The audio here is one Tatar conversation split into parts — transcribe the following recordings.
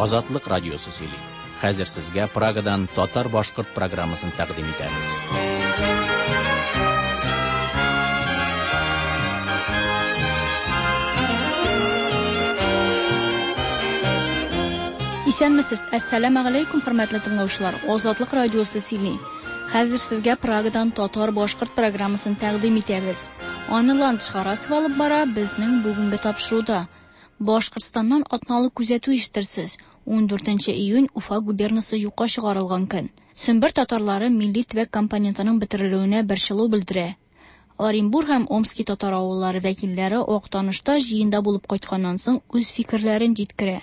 Азатлык радиосы сөйли. Хәзер сезгә Прагадан татар-башкорт программасын тәкъдим итәбез. Исәнмесез, әссәламә галәйкүм, хөрмәтле тыңлаучылар. Азатлык радиосы сөйли. Хәзер сезгә Прагадан татар-башкорт программасын тәкъдим итәбез. Аны Ландыш Харасова алып бара безнең бүгенге тапшыруда. Башкортстаннан атналык күзәтү ишетерсез. 14 июнь Уфа губернасы юкка чыгарылган көн. Сембер татарлары милли төбәк компонентының бетерелүенә борчылу белдерә. Оренбур һәм Омски татар авыллары вәкилләре Актанышта җыенда булып кайтканнан соң үз фикерләрен җиткерә.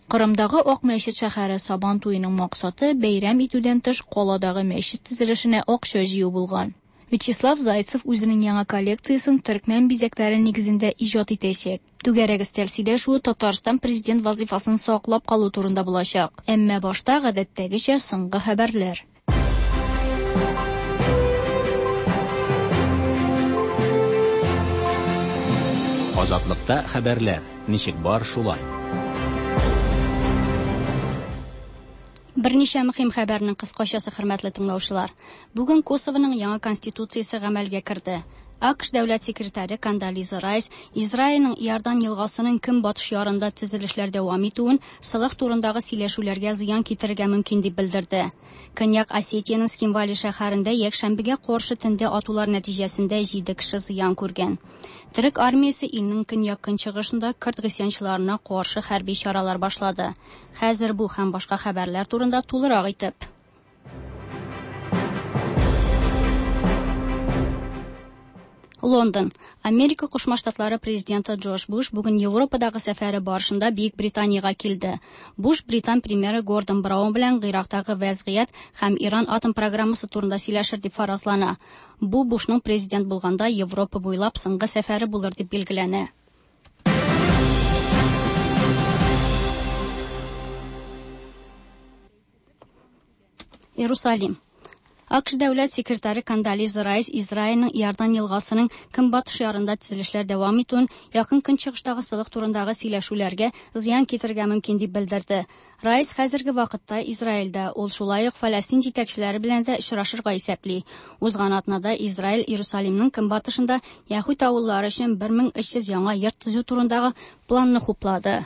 Кырымдагы Ак мәчет шәһәре Сабан туеның максаты бәйрәм итүдән тыш каладагы мәчет төзелешенә акча җыю булган. Вячеслав Зайцев үзенең яңа коллекциясен төркмән бизәкләре нигезендә иҗат итәчәк. Түгәрәк өстәл сөйләшүе Татарстан президент вазифасын саклап калу турында булачак. Әмма башта гадәттәгечә соңгы хәбәрләр. Азатлыкта хәбәрләр. Ничек бар шулай. Берничә мөһим хәбәрнең кыскачасы, хөрмәтле тыңлаучылар. Бүген Косовоның яңа конституциясе гамәлгә керде. АКШ дәүләт секретаре Кондолиза Райс Израильнең Иордан елгасының көнбатыш ярында төзелешләр дәвам итүен солых турындагы сөйләшүләргә зыян китерергә мөмкин дип белдерде. Көньяк Осетиянең Цхинвали шәһәрендә якшәмбегә каршы төндә атулар нәтиҗәсендә 7 кеше зыян күргән. Төрек армиясе илнең көньяк-көнчыгышында көрд гыйсьянчыларына каршы хәрби чаралар башлады. Хәзер бу һәм башка хәбәрләр турында тулырак итеп. Лондон. Америка Кушма Штатлары президенты Джордж Буш бүген Европадагы сәфәре барышында Бөек Британиягә килде. Буш британ премьеры Гордон Браун белән Гыйрактагы вәзгыять һәм Иран атом программасы турында сөйләшер дип фаразлана. Бу Бушның президент булганда Европа буйлап соңгы сәфәре булыр дип билгеләнә. Иерусалим. АКШ дәүләт секретаре Кондолиза Райс Израильнең Иордан елгасының көнбатыш ярында төзелешләр дәвам итүен якын көнчыгыштагы солых турындагы сөйләшүләргә зыян китерергә мөмкин дип белдерде. Райс хәзерге вакытта Израильдә, ул шулай ук Фәләстин җитәкчеләре белән дә очрашырга исәпли. Узган атнада Израиль Иерусалимның көнбатышында яһүд авыллары өчен 1300 яңа йорт төзү турындагы планны хуплады.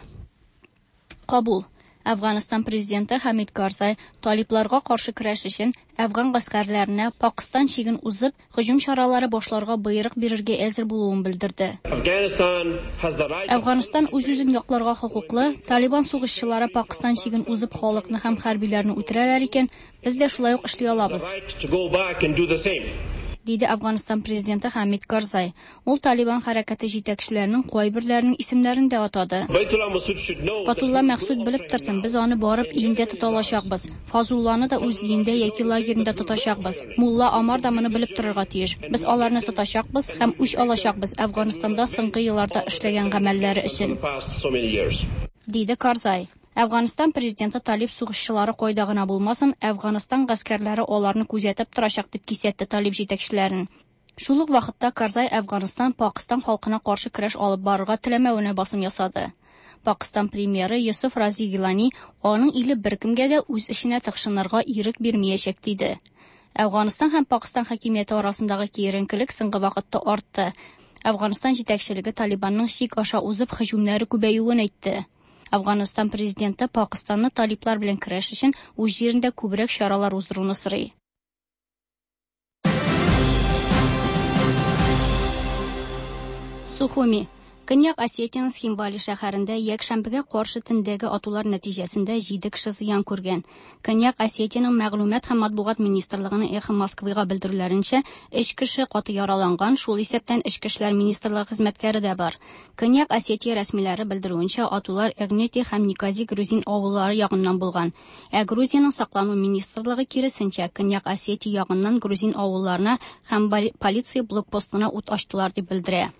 Кабул. Әфганстан президенты Хәмид Карзай талибларга каршы көрәш өчен әфган гаскәрләренә Пакыстан чиген узып, һөҗүм чаралары башларга боерык бирергә әзер булуын белдерде. Әфганстан үз-үзен якларга хокуклы, Талибан сугышчылары Пакыстан чиген узып халыкны һәм хәрбиләрне үтерәләр икән, без дә шулай ук эшли алабыз. Диде Әфганстан президенты Хәмид Карзай. Ул Талибан хәрәкәте җитәкчеләренең кайберләренең исемнәрен дә атады. Батулла Мәхсүд белеп торсын, без аны барып өендә тота алачакбыз. Фазулланы да үз өендә яки лагерында тотачакбыз. Мулла Омар да моны белеп торырга тиеш. Без аларны тотачакбыз һәм үч алачакбыз Әфганстанда соңгы елларда эшләгән гамәлләре өчен. Диде Карзай. Әфганстан президенты Талиб сугышчылары кайда гына булмасын, Әфганстан гаскәрләре аларны күзәтеп торачак дип кисәтте Талиб җитәкчеләрен. Шул ук вакытта Карзай Әфганстан Пакыстан халкына каршы көрәш алып барырга теләмәвенә басым ясады. Пакыстан премьеры Йосыф Рази Гилани аның иле беркемгә дә үз эшенә тыкшынырга ирек бирмәячәк диде. Әфганстан һәм Пакыстан хакимияте арасындагы киеренкелек соңгы вакытта артты. Әфганстан җитәкчелеге Талибанның чик аша узып һөҗүмнәре күбәюен әйтте. Әфганстан президенты Пакыстанны талиблар белән көрәш өчен үз җирендә күбрәк чаралар уздыруны сорый. Сухуми. Көньяк Осетиянең Цхинвали шәһәрендә якшәмбегә каршы төндәге атулар нәтиҗәсендә 7 кеше зыян күргән. Көньяк Осетиянең мәгълүмат һәм матбугат министрлыгының Эхо Москвыга белдерүләренчә, 3 кеше каты яраланган, шул исәптән Эчке эшләр министрлыгы хезмәткәре дә бар. Көньяк Осетия рәсмиләре белдерүенчә, атулар Эрнети һәм Никази грузин авыллары ягыннан булган. Ә Грузиянең саклану министрлыгы киресенчә, Көньяк Осетия ягыннан грузин авылларына һәм полиция блокпостына ут ачтылар дип белдерә.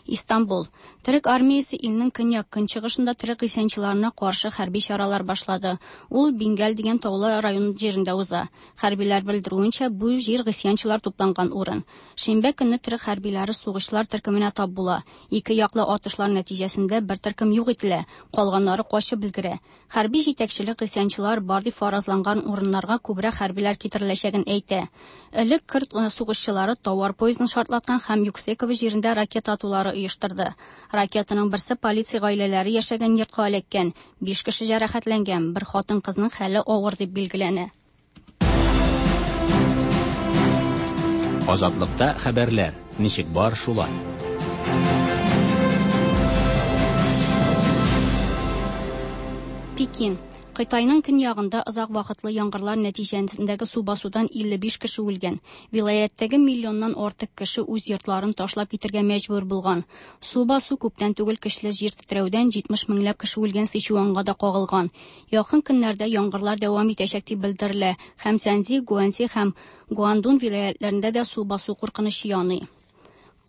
Истанбул. Төрек армиясе илнең көньяк-көнчыгышында төрек гыйсьянчыларына каршы хәрби чаралар башлады. Ул Бингәл дигән таулы район җирендә уза. Хәрбиләр белдерүенчә, бу җир гыйсьянчылар тупланган урын. Шимбә көнне төрек хәрбиләре сугышчылар төркеменә тап була. Ике яклы атышлар нәтиҗәсендә бер төркем юк ителә, калганнары качып өлгерә. Хәрби җитәкчелек гыйсьянчылар бар дип фаразланган урыннарга күбрәк хәрбиләр китереләчәген әйтә. Элек көрд сугышчылары тауар поездын шартлаткан һәм Юксеково җирендә ракета атулары оештырды. Ракетаның берсе полиция гаиләләре яшәгән йортка эләккән. 5 кеше җәрәхәтләнгән, бер хатын-кызның хәле авыр дип билгеләнә. Азатлыкта хәбәрләр ничек бар шулай. Пекин. Кытайның көньягында озак вакытлы яңгырлар нәтиҗәсендәге су басудан 55 кеше үлгән. Вилаяттәге миллионнан артык кеше үз йортларын ташлап китергә мәҗбүр булган. Су басу күптән түгел көчле җир тетрәүдән 70 меңләп кеше үлгән Сычуанга да кагылган. Якын көннәрдә яңгырлар дәвам итәчәк дип белдерелә. Һәм Цзянси, Гуанси һәм Гуандун вилаятләрендә дә су басу куркынычы яный.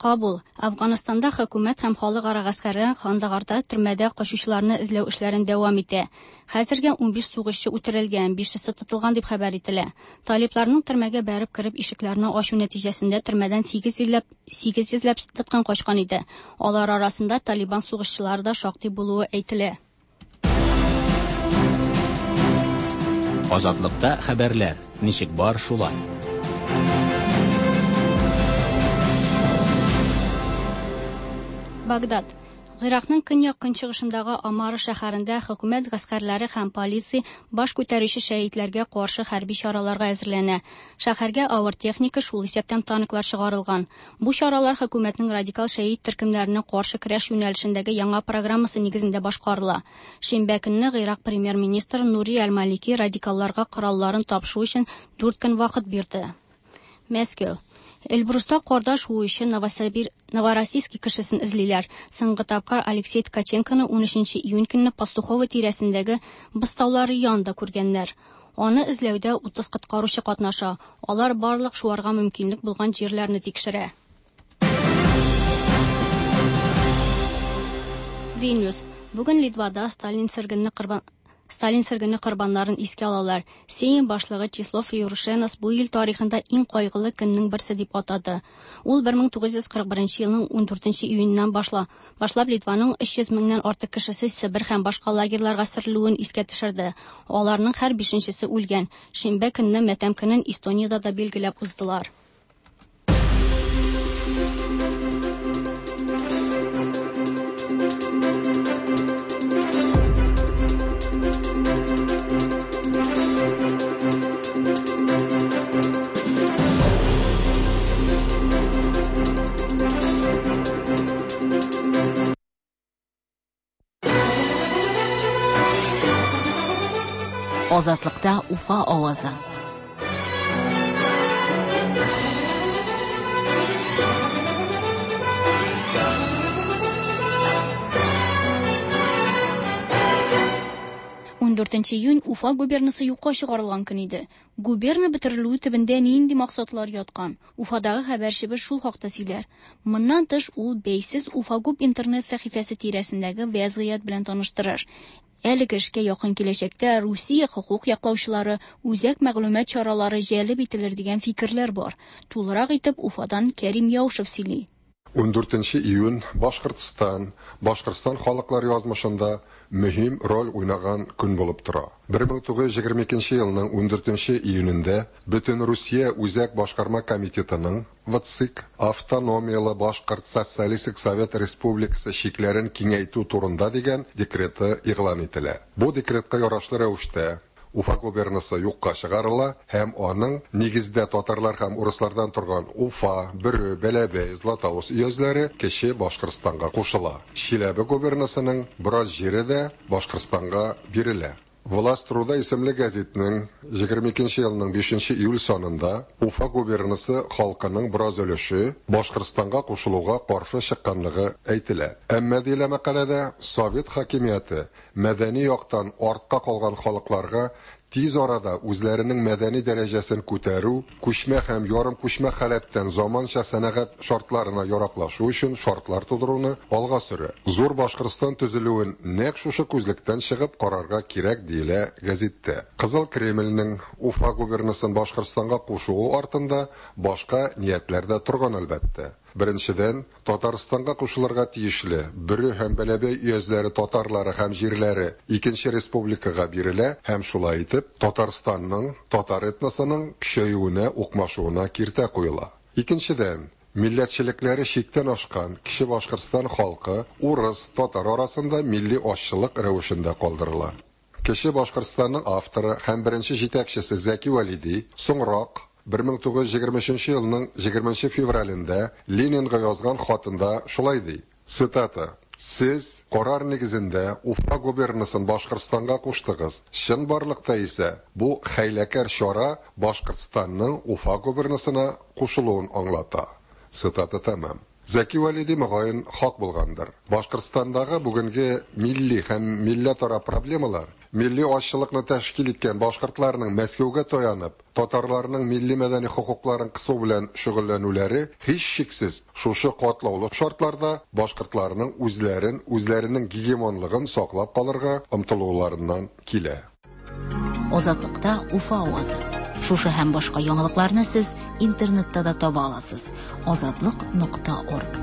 Кабул. Афганстанда хөкүмәт һәм халыкара гаскәре Кандагарда төрмәдә качучыларны эзләү эшләрен дәвам итә. Хәзергә 15 сугышчы үтерелгән, 5-се тотылган дип хәбәр ителә. Талипларның төрмәгә бәреп кереп ишекләрне ачу нәтиҗәсендә төрмәдән 800 ләп тоткын качкан иде. Алар арасында Талибан сугышчылары да шактый булуы әйтелә. Азатлыкта хәбәрләр ничек бар шулай. Багдад. Гыйракның көньяк-көнчыгышындагы Амара шәһәрендә хөкүмәт гаскәрләре һәм полиция баш күтәрүче шәһитләргә каршы хәрби чараларга әзерләнә. Шәһәргә авыр техника, шул исәптән танклар чыгарылган. Бу чаралар хөкүмәтнең радикал шәһит төркемнәренә каршы көрәш юнәлешендәге яңа программасы нигезендә башкарыла. Шимбә көнне Гыйрак премьер-министры Нури Аль-Малики радикалларга коралларын тапшыру өчен 4 көн вакыт бирде. Мәскәү. Эльбруста карда шуучы Новороссийский кешесен эзлиләр. Соңгы тапкыр Алексей Ткаченконы 13 июнь көнне Пастухово тирәсендәге боз таулары янында күргәннәр. Аны эзләүдә 30 коткаручы катнаша. Алар барлык шуарга мөмкинлек булган җирләрне тикшерә. Вильнюс. Бүген Литвада Сталин сөргене корбаннарын искә алалар. Сейм башлыгы Числов Юрушенос бу ил тарихында иң кайгылы көннең берсе дип атады. Ул 1941 елның 14 июненнән башлап Литваның 300 меңнән артык кешесе Себер һәм башка лагерьларга сөрелүен искә төшерде. Аларның һәр 5-нчесе үлгән. Шимбә көнне матәм көнен Эстониядә дә билгеләп уздылар. Азатлыкта Уфа авазы. 14 июнь Уфа губернасы юкка чыгарылган көн иде. Губерна бетерелүе төбендә нинди максатлар яткан? Уфадагы хәбәрчебез шул хакта сөйләр. Моннан тыш ул бәйсез Уфа губ интернет сәхифәсе тирәсендәге вәзгыять белән таныштырыр. Әлеге эшкә якын киләчәктә Русия хокук яклаучылары, үзәк мәгълүмат чаралары җәлеп ителер дигән фикерләр бар. Тулырак итеп Уфадан Кәрим Яушев сөйли. 14 июнь Башкортстан, Башкортстан халыклар язмышында мөһим роль уйнаган көн булып тора. 1922 елның 14 июнендә Бөтен Русия Үзәк башкарма комитетының ВЦИК Автономиялы Башкорт Социалистик Совет Республикасы чикләрен киңәйтү турында дигән декреты игълан ителә. Бу декретка ярашлы рәвештә Уфа губернасы юкка чыгарыла һәм аның нигездә татарлар һәм урыслардан торган Уфа, Бөре, Бәләбәй, Златоуст өязләре Кече Башкортстанга кушыла. Чиләбе губернасының бераз җире дә Башкортстанга бирелә. Власть труда исемле гәзитнең 22 елның 5 июль санында Уфа губернасы халкының бераз өлеше Башкортстанга кушылуга каршы чыкканлыгы әйтелә. Әмма диелә мәкаләдә Совет хакимияте мәдәни яктан артка калган халыкларга тиз арада үзләренең мәдәни дәрәҗәсен күтәрү, күчмә һәм ярымкүчмә халәттән заманча сәнәгать шартларына яраклашу өчен шартлар тудыруны алга сөрә. Зур Башкортстан төзелүен нәкъ шушы күзлектән чыгып карарга кирәк, диелә гәзиттә. Кызыл Кремльнең Уфа губернасын Башкортстанга кушуы артында башка ниятләр дә торган, әлбәттә. Беренчедән, Татарстанга кушылырга тиешле Бөре һәм Бәләбәй өязләре татарлары һәм җирләре икенче республикага бирелә һәм шулай итеп, Татарстанның, татар этносының көчәюенә, укмашуына киртә куела. Икенчедән, милләтчелекләре чиктән ашкан Кече Башкортстан халкы урыс, татар арасында милли азчылык рәвешендә калдырыла. Кече Башкортстанның авторы һәм беренче җитәкчесе Зәки Вәлиди соңрак, 1923 елның 20 нче февралендә Ленинга язган хатында шулай ди, цитата, Сез, карар нигезендә, Уфа губернасын Башкортстанга куштыгыз, чынбарлыкта исә бу хәйләкәр чара Башкортстанның Уфа губернасына кушылуын аңлата. Цитата тәмам. Зәки Вәлиди, мөгаен, хак булгандыр. Башкортстандагы бүгенге милли һәм милләтара проблемалар, милли азчылыкны тәшкил иткән башкортларның Мәскәүгә таянып, татарларның милли-мәдәни хокукларын кысу белән шөгыльләнүләре, һичшиксез, шушы катлаулы шартларда башкортларның үзләрен, үзләренең гегемонлыгын саклап калырга омтылуларыннан килә. Азатлыкта Уфа авазы. Шушы һәм башка яңалыкларны сез интернетта да таба аласыз. Азатлык нокта орг.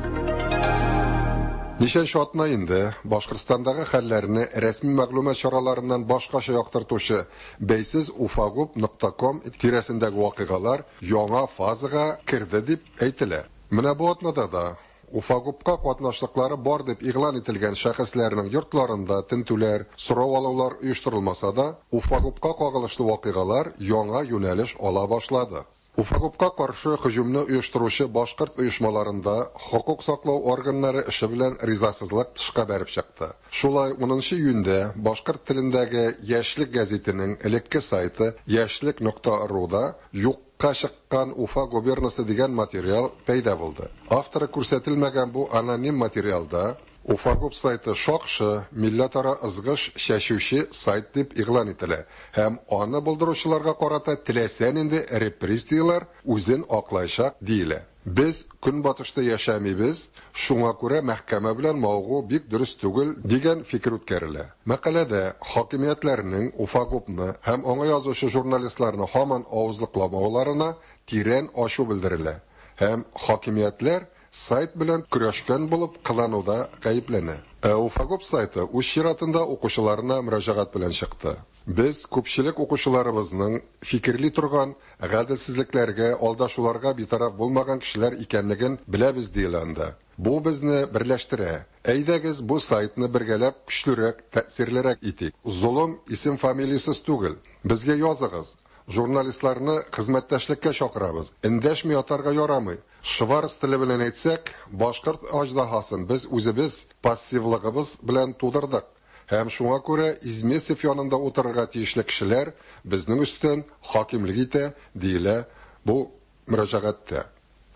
Ничәнче атна инде Башкортстандагы хәлләрне рәсми мәгълүмат чараларыннан башкача яктыртучы бәйсез уфагуб нокта ком тирәсендәге вакыйгалар яңа фазага керде дип әйтелә. Менә бу атнада да Уфагубка катнашлыклары бар дип игълан ителгән шәхесләрнең йортларында тентүләр, сорау алулар оештырылмаса да, Уфагубка кагылышлы вакыйгалар яңа юнәлеш ала башлады. Уфагубка каршы һөҗүмне оештыручы башкорт оешмаларында хокук саклау органнары эше белән ризасызлык тышка бәреп чыкты. Шулай, унынчы июньдә башкорт телендәге Яшьлек гәзитенең элекке сайты яшьлек нокта руда юк ка чыккан Уфа губернасы дигән материал пәйда булды. Авторы күрсәтелмәгән бу аноним материалда Уфагуб сайты шакшы, милләтара ызгыш чәчүче сайт дип игълан ителә һәм аны булдыручыларга карата теләсә нинди репрессияләр үзен аклаячак диелә. Без Көнбатышта яшәмибез, шуңа күрә мәхкәмә белән мавыгу бик дөрес түгел, дигән фикер үткәрелә. Мәкаләдә хакимиятләрнең Уфагубны һәм аңа язучы журналистларны һаман авызлыкламауларына тирән ачу белдерелә һәм хакимиятләр сайт белән көрәшкән булып кылануда гаепләнә. Ә Уфагуб сайты үз чиратында укучыларына мөрәҗәгать белән чыкты. Без күпчелек укучыларыбызның фикерли торган, гаделсезлекләргә, алдашуларга битараф булмаган кешеләр икәнлеген беләбез, диелә анда. Бу безне берләштерә. Әйдәгез, бу сайтны бергәләп көчлерәк, тәэсирлерәк итик. Золым исем-фамилиясез түгел. Безгә языгыз. Журналистларны хезмәттәшлеккә чакырабыз. Эндәшми ятарга ярамый. Шварц теле белән әйтсәк, башкорт аҗдаһасын без үзебез пассивлыгыбыз белән тудырдык. Һәм шуңа күрә Измесев янында утырырга тиешле кешеләр безнең өстән хакимлек итә, диелә бу мөрәҗәгатьтә.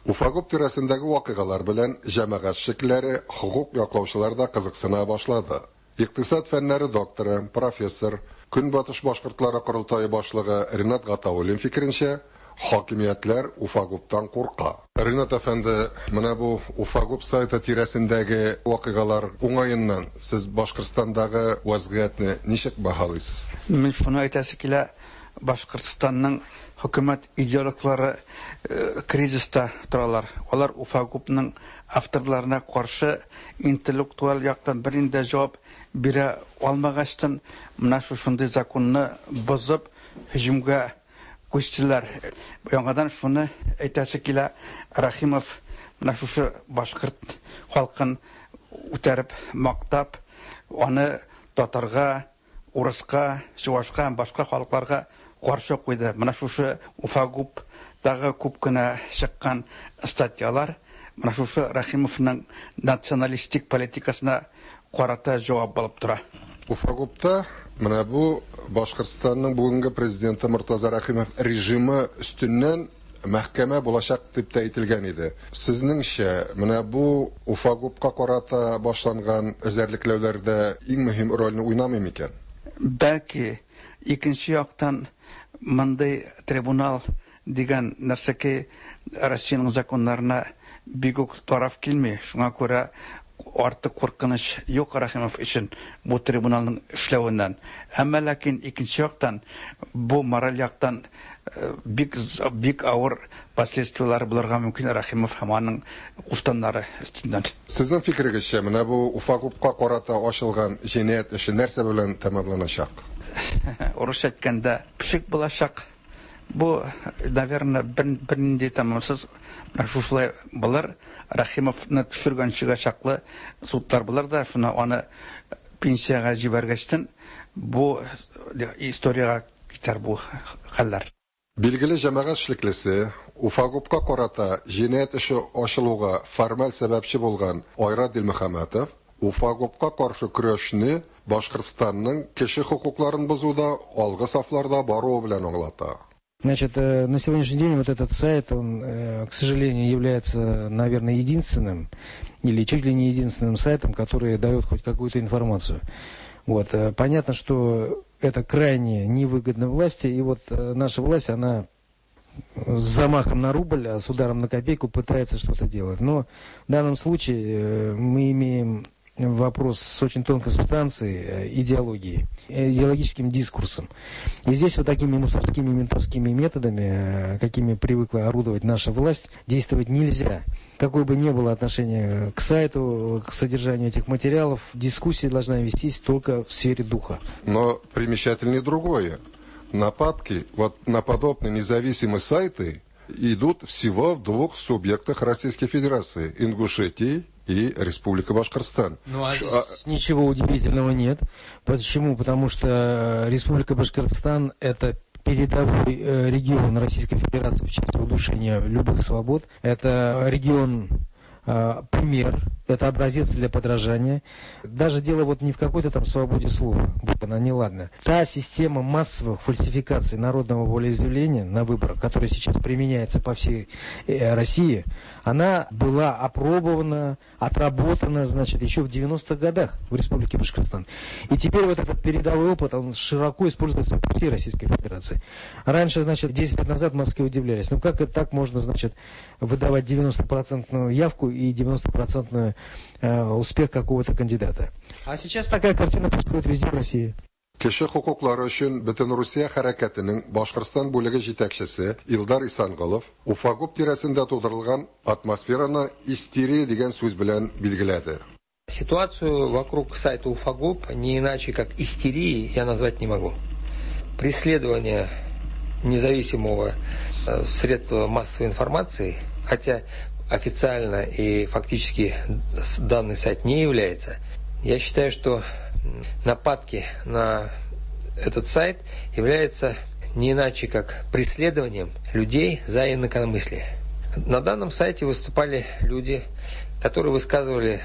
Уфагуб тирәсендәге вакыйгалар белән җәмәгать эшлеклеләре, хокук яклаучылар да кызыксына башлады. Икътисад фәннәре докторы, профессор, Көнбатыш башкортлары корылтае башлыгы Ринат Гатауллин фикеренчә, хакимиятләр Уфагубтан курка. Ринат әфәнде, менә бу Уфагуб сайты тирәсендәге вакыйгалар уңаеннан сез Башкортстандагы вәзгыятьне ничек бәһалыйсыз? Мин шуны әйтәсе килә, Башкортстанның хөкүмәт идеологлары кризиста торалар. Алар Уфагубның авторларына каршы интеллектуаль яктан бернинди дә җавап бирә алмагачтын, менә шушындый законны бозып, һөҗүмгә күчтеләр. Яңадан шуны әйтәсе килә, Рәхимов менә шушы башкорт халкын үтәреп мактап, аны татарга, урыска, чувашка һәм башка халыкларга каршы куйды. Менә шушы Уфагубтагы күп кенә чыккан статьялар менә шушы Рәхимовның националистик политикасына карата җавап булып тора. Уфагубта менә бу Башкортстанның бүгенге президенты Мортаза Рәхимов режимы өстеннән мәхкәмә булачак дип тә әйтелгән иде. Сезнеңчә, менә бу Уфагубка карата башланган эзәрлекләүләрдә иң мөһим рольне уйнамый микән? Бәлки, Икенче яктан, мондый трибунал дигән нәрсәкәй Россиянең законнарына бик үк тараф килми. Шуңа күрә артык куркыныч юк Рәхимов өчен бу трибуналның эшләвеннән. Әмма ләкин икенче яктан бу мораль яктан бик бик авыр последствияләре булырга мөмкин Рәхимов һәм аның куштаннары өстеннән. Сезнең фикерегезчә, менә бу Уфагупка карата ачылган җинаять эше нәрсә белән тәмамланачак? Урысча әйткәндә, пшик булачак. Бу, наверное, бернинди тәмамсыз менә шушылай булыр. Рәхимовны төшергәнчегә чаклы судлар булыр да, шуны аны пенсиягә җибәргәчтен бу историягә китәр бу хәлләр. Билгеле җәмәгать эшлеклесе, Уфагупка карата җинаять эше ачылуга формаль сәбәпче булган Айрат Дилмөхәммәтов Уфагупка каршы көрәшне Башкортстанның кеше хокукларын бозуда алгы сафларда баруы белән аңлата. Значит, на сегодняшний день вот этот сайт, он, к сожалению, является, наверное, единственным, или чуть ли не единственным сайтом, который дает хоть какую-то информацию. Вот. Понятно, что это крайне невыгодно власти, и вот наша власть, она с замахом на рубль, а с ударом на копейку пытается что-то делать. Но в данном случае мы имеем вопрос с очень тонкой субстанцией, идеологией, идеологическим дискурсом. И здесь вот такими мусорскими ментовскими методами, какими привыкла орудовать наша власть, действовать нельзя. Какое бы ни было отношение к сайту, к содержанию этих материалов, дискуссия должна вестись только в сфере духа. Но примечательнее другое. Нападки вот на подобные независимые сайты идут всего в двух субъектах Российской Федерации – Ингушетии и Республика Башкортостан. Ну, а здесь ничего удивительного нет. Почему? Потому что Республика Башкортостан – это передовой регион Российской Федерации в части удушения любых свобод. Это регион пример, это образец для подражания. Даже дело вот не в какой-то там свободе слова, будь она неладна. Та система массовых фальсификаций народного волеизъявления на выборах, которая сейчас применяется по всей России, она была опробована, отработана, значит, еще в 90-х годах в Республике Башкортостан. И теперь вот этот передовой опыт, он широко используется по всей Российской Федерации. Раньше, значит, 10 лет назад в Москве удивлялись, ну как это так можно, значит, выдавать 90-процентную явку и 90-процентный успех какого-то кандидата. А сейчас такая картина происходит везде в России. Кеше хокуклары өчен Бөтенрусия хәрәкәтенең Башкортстан бүлеге җитәкчесе Илдар Исанголов Уфагуп тирәсендә тудырылган атмосфераны истерия дигән сүз белән билгеләде. Ситуацию вокруг сайта Уфагуп не иначе как истерией я назвать не могу. Преследование независимого средства массовой информации, хотя официально и фактически данный сайт не является, я считаю, что нападки на этот сайт являются не иначе как преследованием людей за инакомыслие. На данном сайте выступали люди, которые высказывали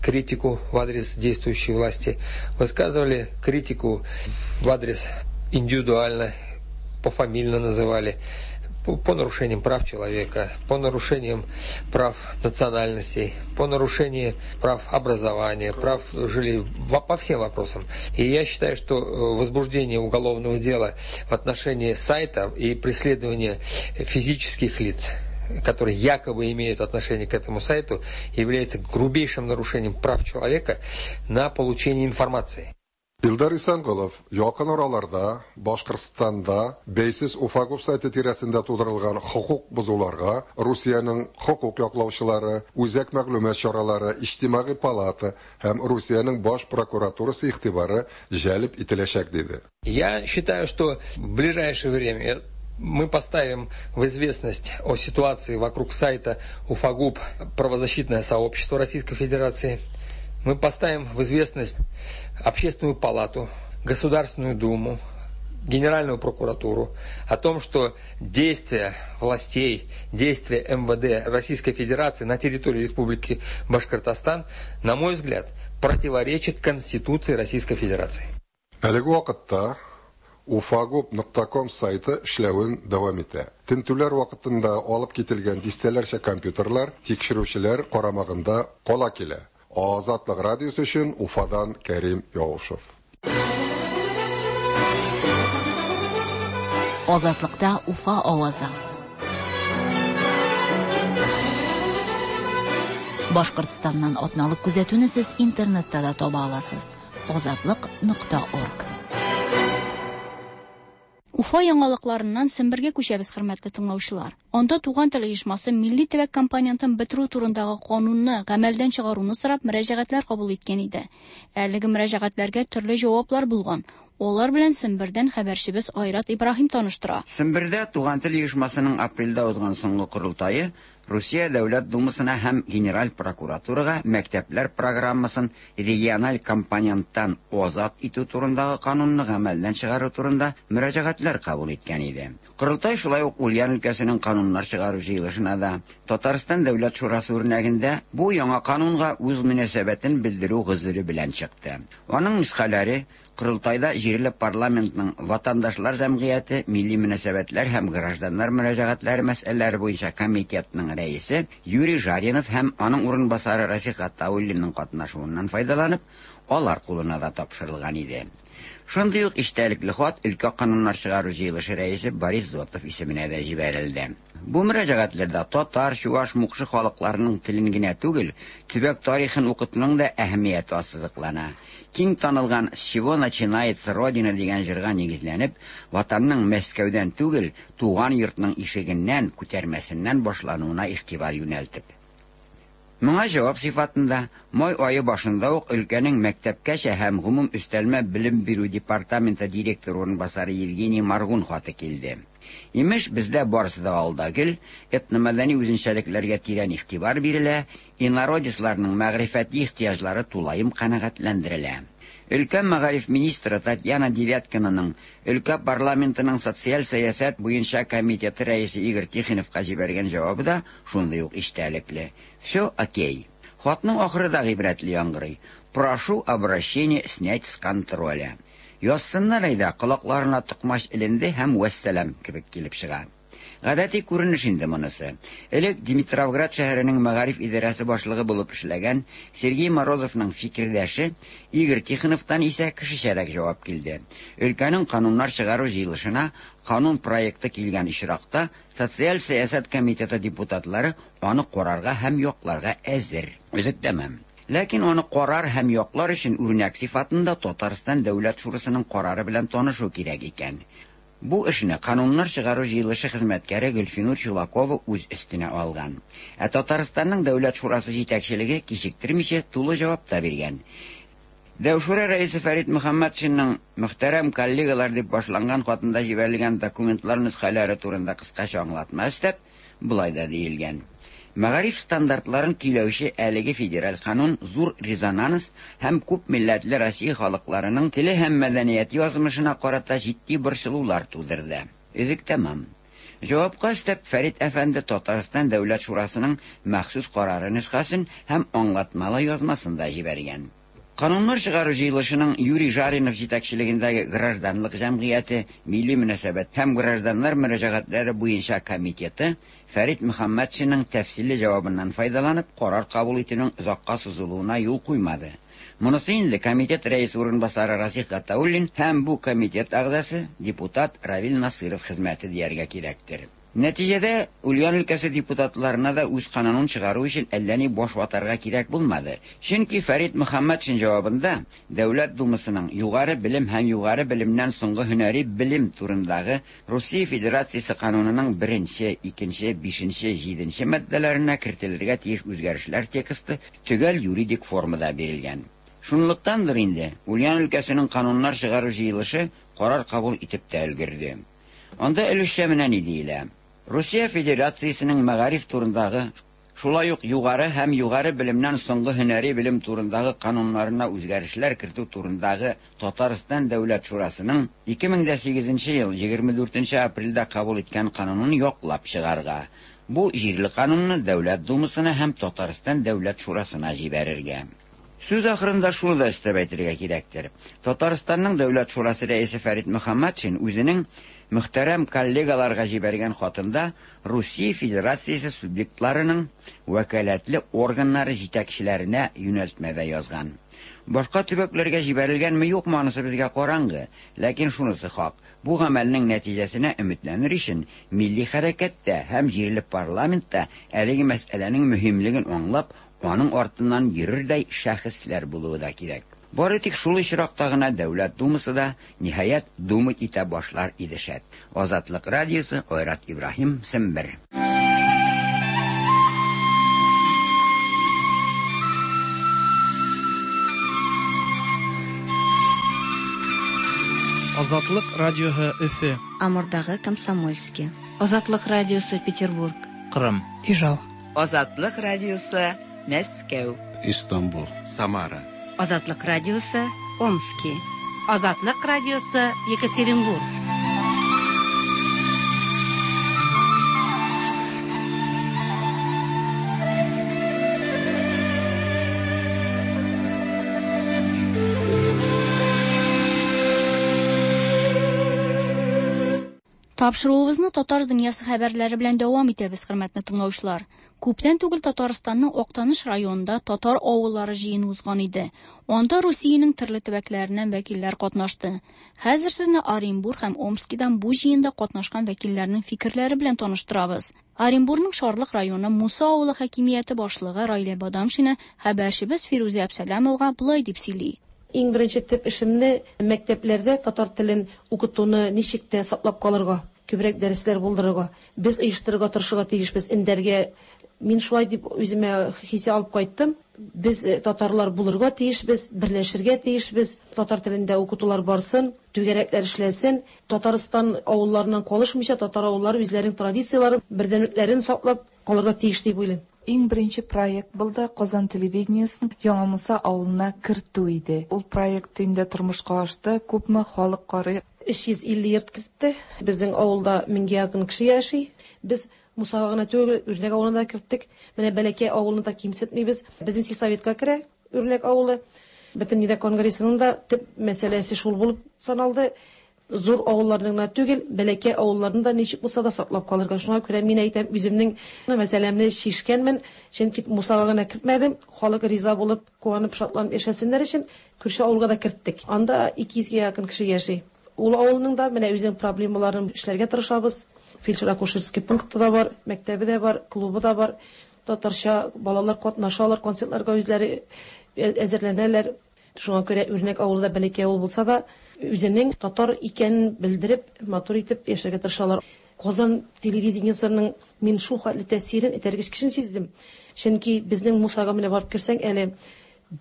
критику в адрес действующей власти, высказывали критику в адрес индивидуально, пофамильно называли, по нарушениям прав человека, по нарушениям прав национальностей, по нарушению прав образования, прав жилья, по всем вопросам. И я считаю, что возбуждение уголовного дела в отношении сайта и преследование физических лиц, которые якобы имеют отношение к этому сайту, является грубейшим нарушением прав человека на получение информации. Илдар Исанголов якын араларда Башкортстанда бәйсез Уфагуп сайты тирәсендә тудырылган хокук бозуларга Русиянең хокук яклаучылары, үзәк мәгълүмат чаралары, иҗтимагый палата һәм Русиянең баш прокуратурасы игътибары җәлеп ителәчәк диде. Я считаю, что в ближайшее время мы поставим в известность о ситуации вокруг сайта Уфагуп правозащитное сообщество Российской Федерации. Мы поставим в известность Общественную палату, Государственную Думу, Генеральную прокуратуру о том, что действия властей, действия МВД Российской Федерации на территории Республики Башкортостан, на мой взгляд, противоречит Конституции Российской Федерации. Әлеге вакытта Уфагуп.ком сайты эшләвен дәвам итә. Тентүләр вакытында алып кителгән дистәләрчә компьютерлар тикшерүчеләр карамагында кала килә. Азатлык радиосы өчен Уфадан Кәрим Яушев. Азатлыкта Уфа авазы. Башкортстаннан атналык күзәтүне сез интернетта да таба аласыз. Азатлык.орг. Уфа яңалыкларыннан Сембергә күчәбез, хөрмәтле тыңлаучылар. Анда Туган тел оешмасы милли төбәк компонентын бетерү турындагы канунны гамәлдән чыгаруны сорап мөрәҗәгатьләр кабул иткән иде. Әлеге мөрәҗәгатьләргә төрле җаваплар булган. Алар белән Сембердән хәбәрчебез Айрат Ибраһим таныштыра. Сембердә Туган тел оешмасының апрельдә узган соңгы корылтае Русия Дәүләт Думасына һәм Генераль прокуратурага мәктәпләр программасын региональ компоненттан азат итү турындагы канунны гамәлдән чыгару турында мөрәҗәгатьләр кабул иткән иде. Корылтай шулай ук Ульян өлкәсенең кануннар чыгару җыелышына да Татарстан Дәүләт Шурасы үрнәгендә бу яңа канунга үз мөнәсәбәтен белдерү гозере белән чыкты. Аның нөсхәләре Корылтайда җирле парламентның Ватандашлар җәмгыяте, милли мөнәсәбәтләр һәм гражданнар мөрәҗәгатьләре мәсьәләләре буенча комитетның рәисе Юрий Жаринов һәм аның урынбасары Расих Гатауллинның катнашуыннан файдаланып, алар кулына да тапшырылган иде. Шундый ук эчтәлекле хат өлкә кануннар чыгару җыелышы рәисе Борис Зотов исеменә дә җибәрелде. Бу мөрәҗәгатьләрдә татар, чуаш, мукшы халыкларының телен генә түгел, төбәк тарихын укытуның да әһәмияте ассызыклана. Киң танылган С чего начинается Родина дигән җырга нигезләнеп, Ватанның Мәскәүдән түгел, туган йортның ишегеннән, күтәрмәсеннән башлануына игътибар юнәлтеп. Моңа җавап сыйфатында, май ае башында ук өлкәнең мәктәпкәчә һәм гомум өстәлмә белем бирү департаменты директоры урынбасары Евгений Маргун хаты килде. Имеш, бездә барысы да ал да гөл, этномәдәни үзенчәлекләргә тирән игътибар бирелә, инородецларның мәгърифәти ихтыяҗлары тулаем канәгатьләндерелә. Өлкә мәгариф министры Татьяна Девяткинаның өлкә парламентының социаль сәясәт буенча комитеты рәисе Игорь Тихоновка җибәргән җавабы да шундый ук эчтәлекле. Все окей. Хатның ахыры да гыйбрәтле яңгырый. Прошу обращение снять с контроля. Язсыннар әйдә, колакларына токмач эленде һәм вәссәлам кебек килеп чыга. Гадәти күренеш инде монысы. Элек Димитровград шәһәренең мәгариф идарәсе башлыгы булып эшләгән Сергей Морозовның фикердәше Игорь Тихоновтан исә кешечәрәк җавап килде. Өлкәнең кануннар чыгару җыелышына канун проекты килгән очракта социаль сәясәт комитеты депутатлары аны карарга һәм якларга әзер. Өзек тәмам. Ләкин аны карар һәм яклар өчен үрнәк сыйфатында Татарстан Дәүләт Шурасының карары белән танышу кирәк икән. Бу эшне кануннар чыгару җыелышы хезмәткәре Гөлфинур Чулакова үз өстенә алган. Ә Татарстанның Дәүләт Шурасы җитәкчелеге кичектермичә тулы җавап та биргән. Дәүшура рәисе Фәрит Мөхәммәтшинның мөхтәрәм коллегалар дип башланган хатында җибәрелгән документлар нөсхәләре турында кыскача аңлатма өстәп, болай да диелгән. Мәгариф стандартларын көйләүче әлеге федераль канун зур резонанс һәм күп милләтле Россия халыкларының теле һәм мәдәнияте язмышына карата җитди борчылулар тудырды. Өзек тәмам. Җавапка өстәп Фәрит әфәнде Татарстан Дәүләт Шурасының махсус карары нөсхәсен һәм аңлатмалы язмасын да җибәргән. Кануннар чыгару җыелышының Юрий Жаринов җитәкчелегендәге гражданлык җәмгыяте, милли мөнәсәбәт һәм гражданнар мөрәҗәгатьләре буенча комитеты Фәрит Мөхәммәтшинның тәфсилле җавабыннан файдаланып, карар кабул итүнең озакка сузылуына юл куймады. Монысы инде комитет рәисе урынбасары Расих Гатауллин һәм бу комитет әгъзасы депутат Равил Насыров хезмәте дияргә кирәктер. Нәтиҗәдә Ульян өлкәсе депутатларына да үз канунын чыгару өчен әллә ни баш ватарга кирәк булмады. Чөнки Фәрит Мөхәммәтшин җавабында Дәүләт Думасының югары белем һәм югары белемнән соңгы һөнәри белем турындагы Русия Федерациясе канунының 1, 2, 5, 7 маддәләренә кертелергә тиеш үзгәрешләр тексты төгәл юридик формада бирелгән. Шунлыктандыр инде Ульян өлкәсенең кануннар чыгару җыелышы карар кабул итеп тә өлгерде. Анда өлешчә менә ни диелә? Русия Федерациясенең мәгариф турындагы, шулай ук югары һәм югары белемнән соңгы һөнәри белем турындагы кануннарына үзгәрешләр кертү турындагы Татарстан Дәүләт Шурасының 2008 ел 24 апрельдә кабул иткән канунын яклап чыгарга. Бу җирле канунны Дәүләт Думасына һәм Татарстан Дәүләт Шурасына җибәрергә. Сүз ахырында шуны да өстәп әйтергә кирәктер. Татарстанның Дәүләт Шурасы рәисе Фәрит Мөхәммәтшин үзенең мөхтәрәм коллегаларга җибәргән хатында Русия Федерациясе субъектларының вәкаләтле органнары җитәкчеләренә юнәлтмәдә язган. Башка төбәкләргә җибәрелгәнме юкмы анысы безгә караңгы, ләкин шунысы хак, бу гамәлнең нәтиҗәсенә өметләнер өчен милли хәрәкәттә һәм җирле парламентта әлеге мәсьәләнең мөһимлеген аңлап, аның артыннан йөрердәй шәхесләр булуы да кирәк. Бары тик шул очракта гына Дәүләт Думасы да, ниһаять, думать итә башлар иде шәт. Азатлык радиосы, Айрат Ибраһим, Сембер. Азатлык радиоһы Өфе. Амурдагы Комсомольский. Азатлык радиосы Петербург. Кырым. Ижау. Азатлык радиосы Мәскәү. Истанбул. Самара. Азатлык радиосы Омски. Азатлык радиосы Екатеринбург. Тапшыруыбызны татар дөньясы хәбәрләре белән дәвам итәбез, хөрмәтле тыңлаучылар. Күптән түгел Татарстанның Актаныш районында татар авыллары җыены узган иде. Анда Русиянең төрле төбәкләреннән вәкилләр катнашты. Хәзер сезне Оренбург һәм Омскидан бу җыенда катнашкан вәкилләрнең фикерләре белән таныштырабыз. Оренбургның Шарлык районы Муса авылы хакимияте башлыгы Райлә Бадамшина хәбәрчебез Фирүзә Әбсәләмовага болай дип сөйли. Иң беренче төп эшемне мәктәпләрдә татар телен укытуны ничек тә саклап калырга, күбрәк дәресләр булдырырга, без оештырырга тырышырга тиешбез, эндәргә. Мин шулай дип үземә хисе алып кайттым. Без татарлар булырга тиешбез, берләшергә тиешбез, татар телендә укытулар барсын, түгәрәкләр эшләсен, Татарстан авылларыннан калышмыйча татар авыллары үзләренең традицияләрен, бердәмлекләрен саклап калырга тиеш дип уйлыйм. Иң беренче проект булды Казан телевидениесен Яңа Муса авылына кертү иде. Ул проект инде тормышка ашты, күпме халык карый. 350 йорт кертте. Безнең авылда меңгә якын кеше яши. Без Мусага гына түгел, Үрнәк авылына да керттек. Менә Бәләкәй авылны да кимсетмибез. Безнең сельсоветка керә Үрнәк авылы. Бөтен конгрессының да төп мәсьәләсе шул булып саналды. Зур авылларны гына түгел, бәләкәй авылларны да ничек булса да саклап калырга. Шуңа күрә мин әйтәм, үземнең мәсьәләмне чишкәнмен, чөнки Мусага гына кертмәдем. Халык риза булып, куанып, шатланып яшәсеннәр өчен күрше авылга да керттек. Анда 200гә якын кеше яши. Ул авылның да менә үзенең проблемаларын эшләргә тырышабыз. Фельдшер-акушерский пункты да бар, мәктәбе дә бар, клубы да бар. Татарча балалар катнашалар, концертларга үзләре әзерләнәләр. Шуңа күрә Үрнәк авылы да бәләкәй авыл булса да, үзенең татар икәнен белдереп, матур итеп яшәргә тырышалар. Казан телевидениесының мин шул хәтле тәэсирен, этәргеч көчен сиздем. Чөнки безнең Мусага менә барып керсәң, әле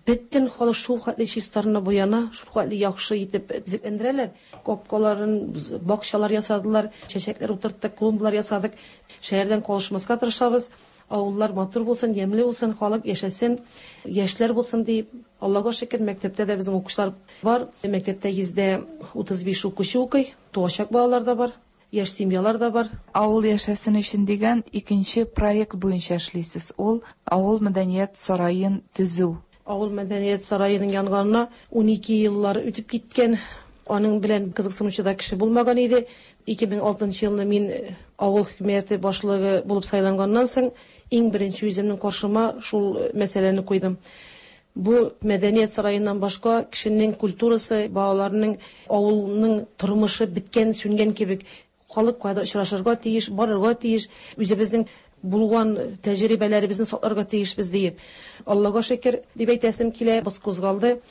бөтен халык шул хәтле чистарына буяна, шул хәтле яхшы итеп төзекләндерәләр. Капкаларын, бакчалар ясадылар, чәчәкләр утырттык, клумбалар ясадык. Шәһәрдән калышмаска тырышабыз. Авыллар матур булсын, ямьле булсын, халык яшәсен, яшьләр булсын дип. Аллага шөкер, мәктәптә дә безнең укучылар бар. Мәктәптә 135 укучы укый, туачак балалар да бар, яшь семьялар да бар. Авыл яшәсен өчен дигән икенче проект буенча эшлисез. Ул авыл мәдәният сараен төзү. Авыл мәдәният сараеның янганына 12 еллар үтеп киткән. Аның белән кызыксынучы да кеше булмаган иде. 2006 елны мин авыл хөкүмәте башлыгы булып сайланганнан соң иң беренче үземнең каршыма шул мәсьәләне куйдым. Бу мәдәният сараеннан башка кешенең культурасы, балаларның, авылның тормышы беткән, сүнгән кебек. Халык кайда очрашырга тиеш, барырга тиеш, үзебезнең булган тәҗрибәләребезне сакларга тиешбез диеп. Аллага шөкер дип әйтәсем килә, без кузгалды.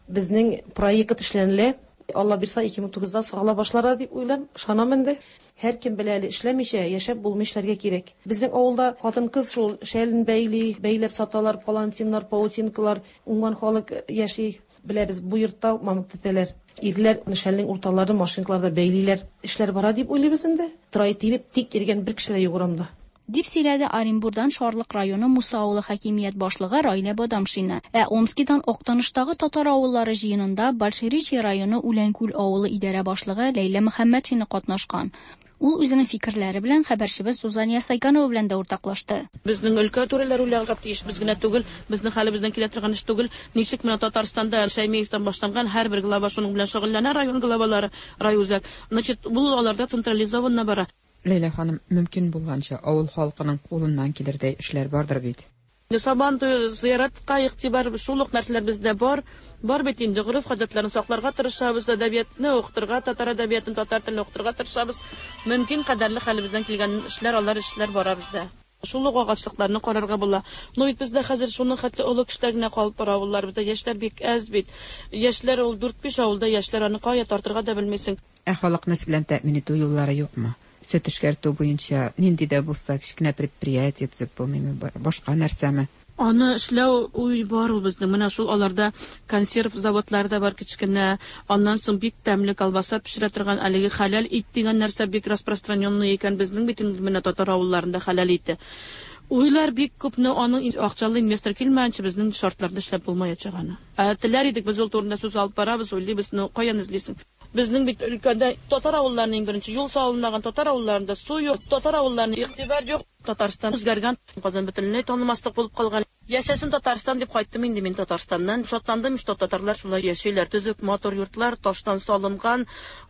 Безнең проект эшләнелә. Алла бирса 2009да сагала башлар дип уйлам, ышанам инде. Һәркем белә әле эшләмичә яшәп булмый, эшләргә кирәк. Безнең авылда хатын-кыз шул шәлен бәйли, бәйләп саталар, палантиннар, паутинкалар, уңган халык яши. Беләбез, бу йортта мамык тетәләр. Ирләр шәлнең урталарын машинкаларда бәйлиләр. Эшләр бара дип уйлыйбыз инде. Трай тибеп тик йөргән бер кеше дә юк урамда. Дип сөйләде Оренбурдан Шарлык районы Муса авылы хакимият башлыгы Райлә Бадамшина. Ә Омскидан Актаныштагы татар авыллары җыенында Большеречье районы Үләнкүл авылы идарә башлыгы Ләйлә Мөхәммәтшина катнашкан. Ул үзенең фикерләре белән хәбәрчебез Сузания Сайканова белән дә уртаклашты. Безнең өлкә түрәләре уйларга тиеш, без генә түгел, безнең хәлебездән килә торган эш түгел. Ничек менә Татарстанда Шәймиевтан башланган һәрбер глава шуның белән шөгыльләнә, район главалары, райүзәк. Значит, бу аларда централизованно бара. Ләйлә ханым, мөмкин булганча авыл халкының кулыннан килердәй эшләр бардыр бит? Сабан туе, зыяратка игътибар, шул ук нәрсәләр бездә бар. Бар бит инде, гореф-гадәтләрне сакларга тырышабыз, әдәбиятны укытырга, татар әдәбиятын, татар телен укытырга тырышабыз. Мөмкин кадәрле хәлебездән килгән эшләр, алар эшләр бара бездә. Шул ук агачлыкларны карарга була. Ну бит бездә хәзер шуның хәтле олы кешеләр генә калып бара авылларыбызда. Яшьләр бик әз бит. Яшьләр ул дүрт-биш авылда яшьләр, аны кая тартырга да белмисең. Ә халыкны эш белән тәэмин итү юллары юкмы? Сөт эшкәртү буенча нинди дә булса кечкенә предприятие төзеп булмыймы, башка нәрсәме? Аны эшләү уй бар ул безнең. Менә шул аларда консерв заводлары да бар кечкенә. Аннан соң бик тәмле колбаса пешерә торган әлеге хәләл ит дигән нәрсә бик распространенный икән. Безнең бит инде менә татар авылларында хәләл ите. Уйлар бик күп, но аның акчалы инвестор килмәгәнче безнең шартларда эшләп булмаячак аны. Ә теләр идек, без ул турында сүз алып барабыз, уйлыйбыз, но каян эзлисең? Безнең бит өлкәдә татар авылларына иң беренче юл салынмаган, татар авылларында су юк, татар авылларына игътибар юк. Татарстан үзгәргән, Казан бөтенләй танымаслык булып калган. Яшәсен Татарстан дип кайттым инде мин Татарстаннан. Шатландым, что татарлар шулай яшиләр. Төзек, матур йортлар, таштан салынган,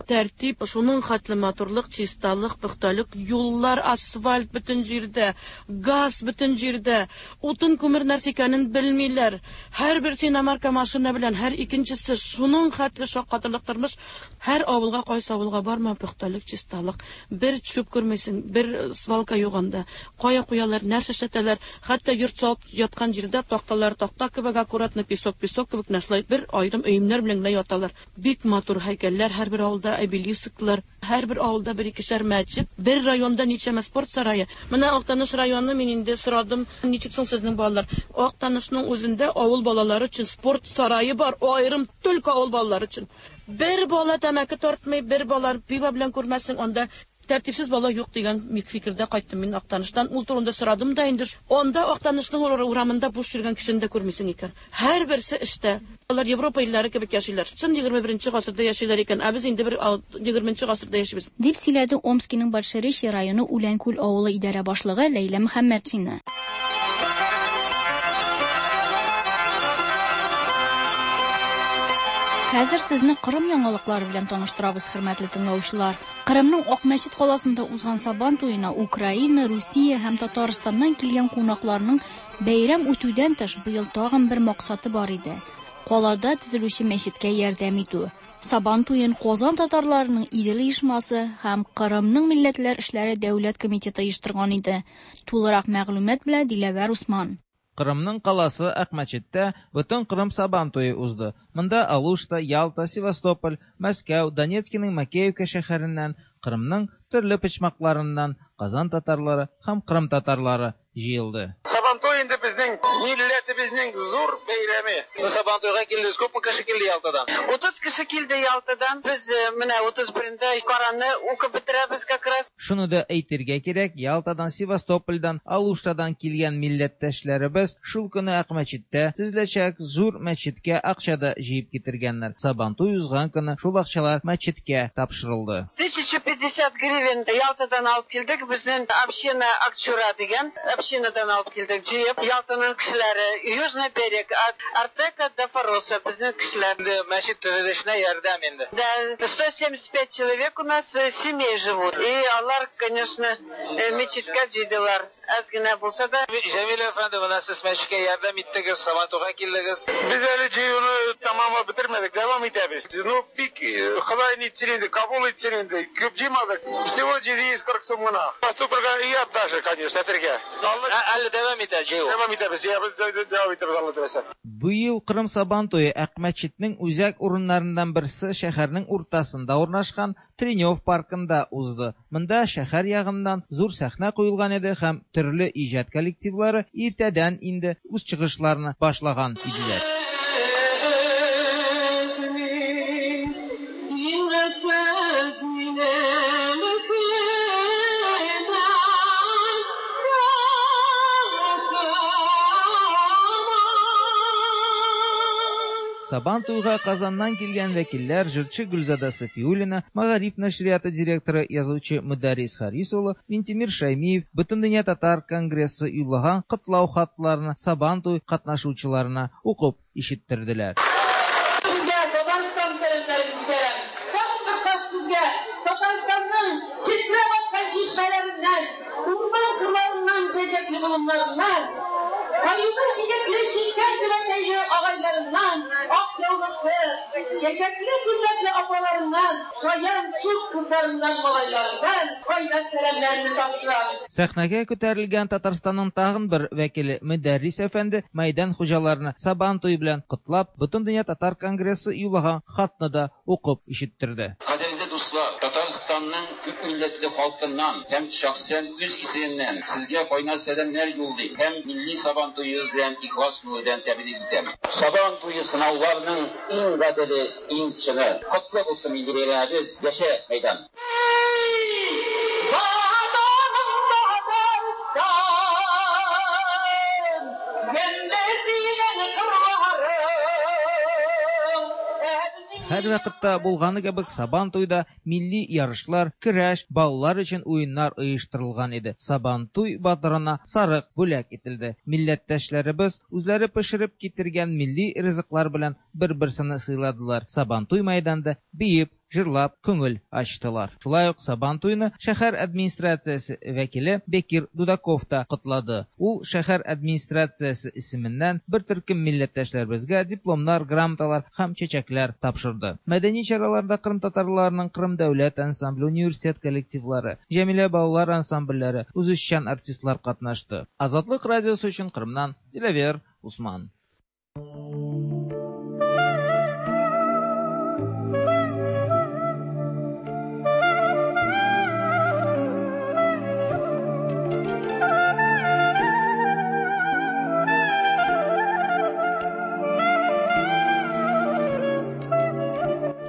тәртип, шуның хәтле матурлык, чисталык, пөхтәлек, юллар, асфальт бөтен җирдә, газ бөтен җирдә, утын күмер нәрсә икәнен белмиләр. Һәрберсе иномарка машина белән, һәр икенчесе шуның хәтле шаккатырлык тормыш. Һәр авылга, кайсы авылга барма, пөхтәлек, чисталык. Бер чүп күрмисең, бер свалка юк анда. Кая куялар, нәрсә эшләтәләр, хәтта йорт салып яткан җирдә такталар такта кебек аккуратно, песок песок кебек, менә шулай бер аерым өемнәр белән генә яталар. Бик матур һәйкәлләр һәрбер авылда, обелисклар, һәрбер авылда бер-икешәр мәчет, бер районда ничәмә спорт сарае. Менә Актаныш районы, мин инде сорадым, ничек соң сезнең балалар? Актанышның үзендә авыл балалары өчен спорт сарае бар, аерым только авыл балалары өчен. Бер бала тәмәке тартмый, бер бала пиво белән күрмәссең, анда тәртипсез бала юк дигән фикердә кайттым мин Актаныштан. Ул турында сорадым да инде. Анда Актанышның урамында буш йөргән кешене дә күрмисең икән. Һәрберсе эштә. Алар Европа илләре кебек яшиләр. Чын 21 гасырда яшиләр икән. Ә без инде бер 20 гасырда яшибез. Дип сөйләде Омскиның Большеречье районы Үләнкүл авылы идарә башлыгы Ләйлә Мөхәммәтшина. Хәзер сезне Кырым яңалыклары белән таныштырабыз, хөрмәтле тыңлаучылар. Кырымның Акмәчет каласында узган Сабан туена Украина, Русия һәм Татарстаннан килгән кунакларның бәйрәм үтүдән тыш быел тагын бер максаты бар иде. Калада төзелүче мәчеткә ярдәм итү. Сабан туен Казан татарларының Идел оешмасы һәм Кырымның милләтләр эшләре дәүләт комитеты оештырган иде. Тулырак мәгълүмат белән Диләвәр Усман. Кырымның каласы Акмәчеттә бөтен Кырым Сабан туе узды. Монда Алушта, Ялта, Севастополь, Мәскәү, Донецкиның Макеевка шәһәреннән, Кырымның төрле почмакларыннан Казан татарлары һәм Кырым татарлары җыелды. Сабантуй инде безнең милләтебезнең зур бәйрәме. Сабантуйга килдегез, күпме кеше килде Ялтадан? 30 кеше килде Ялтадан. Без менә 31-ндә Коранны укып бетерәбез как раз. Шуны да әйтергә кирәк, Ялтадан, Севастопольдан, Алуштадан килгән милләттәшләребез шул көне Акмәчеттә төзеләчәк зур мәчеткә акча да җыеп китергәннәр. Сабантуй узган көне шул акчалар мәчеткә тапшырылды. 1050 гривен Ялтадан алып килдек. Безнең община Акчура дигән общинадан алып килдек. Җыеп Ялтаның кешеләре, Южный берег, Артека до Фороса, безнең кешеләр. Мәчет төзелешенә ярдәм инде. Да, 175 человек у нас семей живут. И алар, конечно, мәчеткә җыйдылар. Әз генә булса да. Җәмил әфәнде, менә сез мәчеткә ярдәм иттегез, Сабантуйга килдегез. Без әле җыюны тәмамлап бетермәдек, дәвам итәбез. Ну, бик Ходай нитсен инде, кабул итсен инде. Күп җыймадык. Всего 740 сум гына. Поступырга оят даже, конечно, әтергә. Әле дәвам итә җыю. Дәвам итәбез, дәвам итәбез, Алла теләсә. Быел Кырым Сабан туе Акмәчетнең үзәк урыннарыннан берсе шәһәрнең уртасында урнашкан Тренев паркында узды. Монда шәһәр ягыннан зур сәхнә куелган иде һәм төрле иҗат коллективлары иртәдән инде үз чыгышларны башлаган иделәр. Сабан туйга Казаннан килгән вәкилләр җырчы Гөлзада Сафиуллина, Мәгариф нәшрияты директоры язучы Мөдәррис Харис улы, Минтимер Шаймиев, Бөтендөнья татар конгрессы юллаган котлау хатларны Сабан туй катнашучыларына укып ишеттерделәр. Сезгә Татарстан сәламнәрен җибәрәм. Тагын бер кат сезгә Татарстанның челтерәп аккан чишмәләреннән, урман кырларыннан, чәчәкле болыннарыннан Каюлы читекле чиккән түбәтәйле агайларыннан, ак яулыклы, чәчәкле күлмәкле апаларыннан, шаян шук кызларыннан, малайларыннан кайнар сәламнәремне тапшырам. Сәхнәгә күтәрелгән Татарстанның тагын бер вәкиле Мөдәррис әфәнде мәйдан хуҗаларны Сабан туе белән котлап, Бөтендөнья татар конгрессы юллаган хатны да укып ишеттерде. Кадерле дуслар, Татарстанның күпмилләтле халкыннан һәм шәхсән үз исемемнән сезгә кайнар сәламнәр юллыйм һәм милли Сабан туегыз белән ихлас күңелдән тәбрик итәм. Сабан туе сынауларның иң гаделе, иң чыны. Котлы булсын милли бәйрәмебез, яшә, мәйдан! Ватаным Татарстан, ямьле синең кырларың. Һәрвакытта булганы кебек Сабан туйда милли ярышлар, көрәш, балалар өчен уеннар оештырылган иде. Сабантуй батырына сарык бүләк ителде. Милләттәшләребез үзләре пешереп китергән милли ризыклар белән бер-берсен сыйладылар. Сабантуй мәйданында биеп, җырлап күңел ачтылар. Шулай ук Сабантуйны шәһәр администрациясе вәкиле Бекир Дудаков та котлады. Ул шәһәр администрациясе исеменнән бер төркем милләттәшләребезгә дипломнар, грамоталар һәм чәчәкләр тапшырды. Мәдәни чараларда кырымтатарларның Кырым дәүләт ансамбле, университет коллективлары, Җәмилә балалар ансамбльләре, үзешчән артистлар катнашты. Азатлык радиосы өчен Кырымнан Диләвер Усман.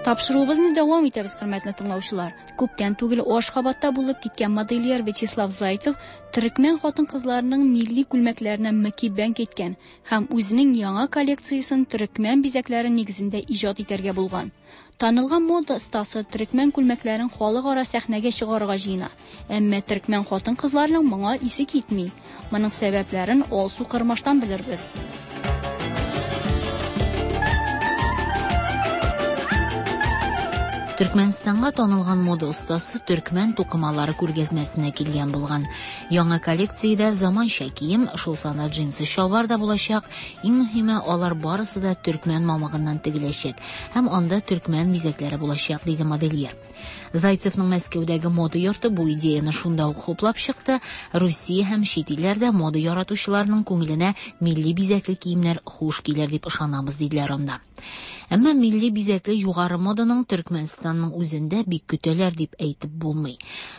Тапшыруыбызны дәвам итәбез, хөрмәтле тыңлаучылар. Күптән түгел Ашхабадта булып киткән модельер Вячеслав Зайцев төрекмән хатын-кызларының милли күлмәкләренә мөкиббән киткән һәм үзенең яңа коллекциясен төрекмән бизәкләре нигезендә иҗат итәргә булган. Танылган мода остасы төрекмән күлмәкләрен халыкара сәхнәгә чыгарырга җыена. Әмма төрекмән хатын-кызларының моңа исе китми. Моның сәбәпләрен Алсу Кырмаштан белербез. Төркмәнстанга танылган мода остасы төркмән тукымалары күргәзмәсенә килгән булган. Яңа коллекциядә заманча кием, шул санда джинсы чалбар да булачак. Иң мөһиме, алар барысы да төркмән мамыгыннан тегеләчәк һәм анда төркмән бизәкләре булачак, диде модельер. Зайцевның Мәскәүдәге мода йорты бу идеяне шунда ук хуплап чыкты. Русия һәм чит илләрдә мода яратучыларның күңеленә милли бизәкле киемнәр хуш килер дип ышанабыз, диделәр анда. Әмма милли бизәкле югары моданың Төркмәнстанның үзендә бик көтәләр дип әйтеп булмый.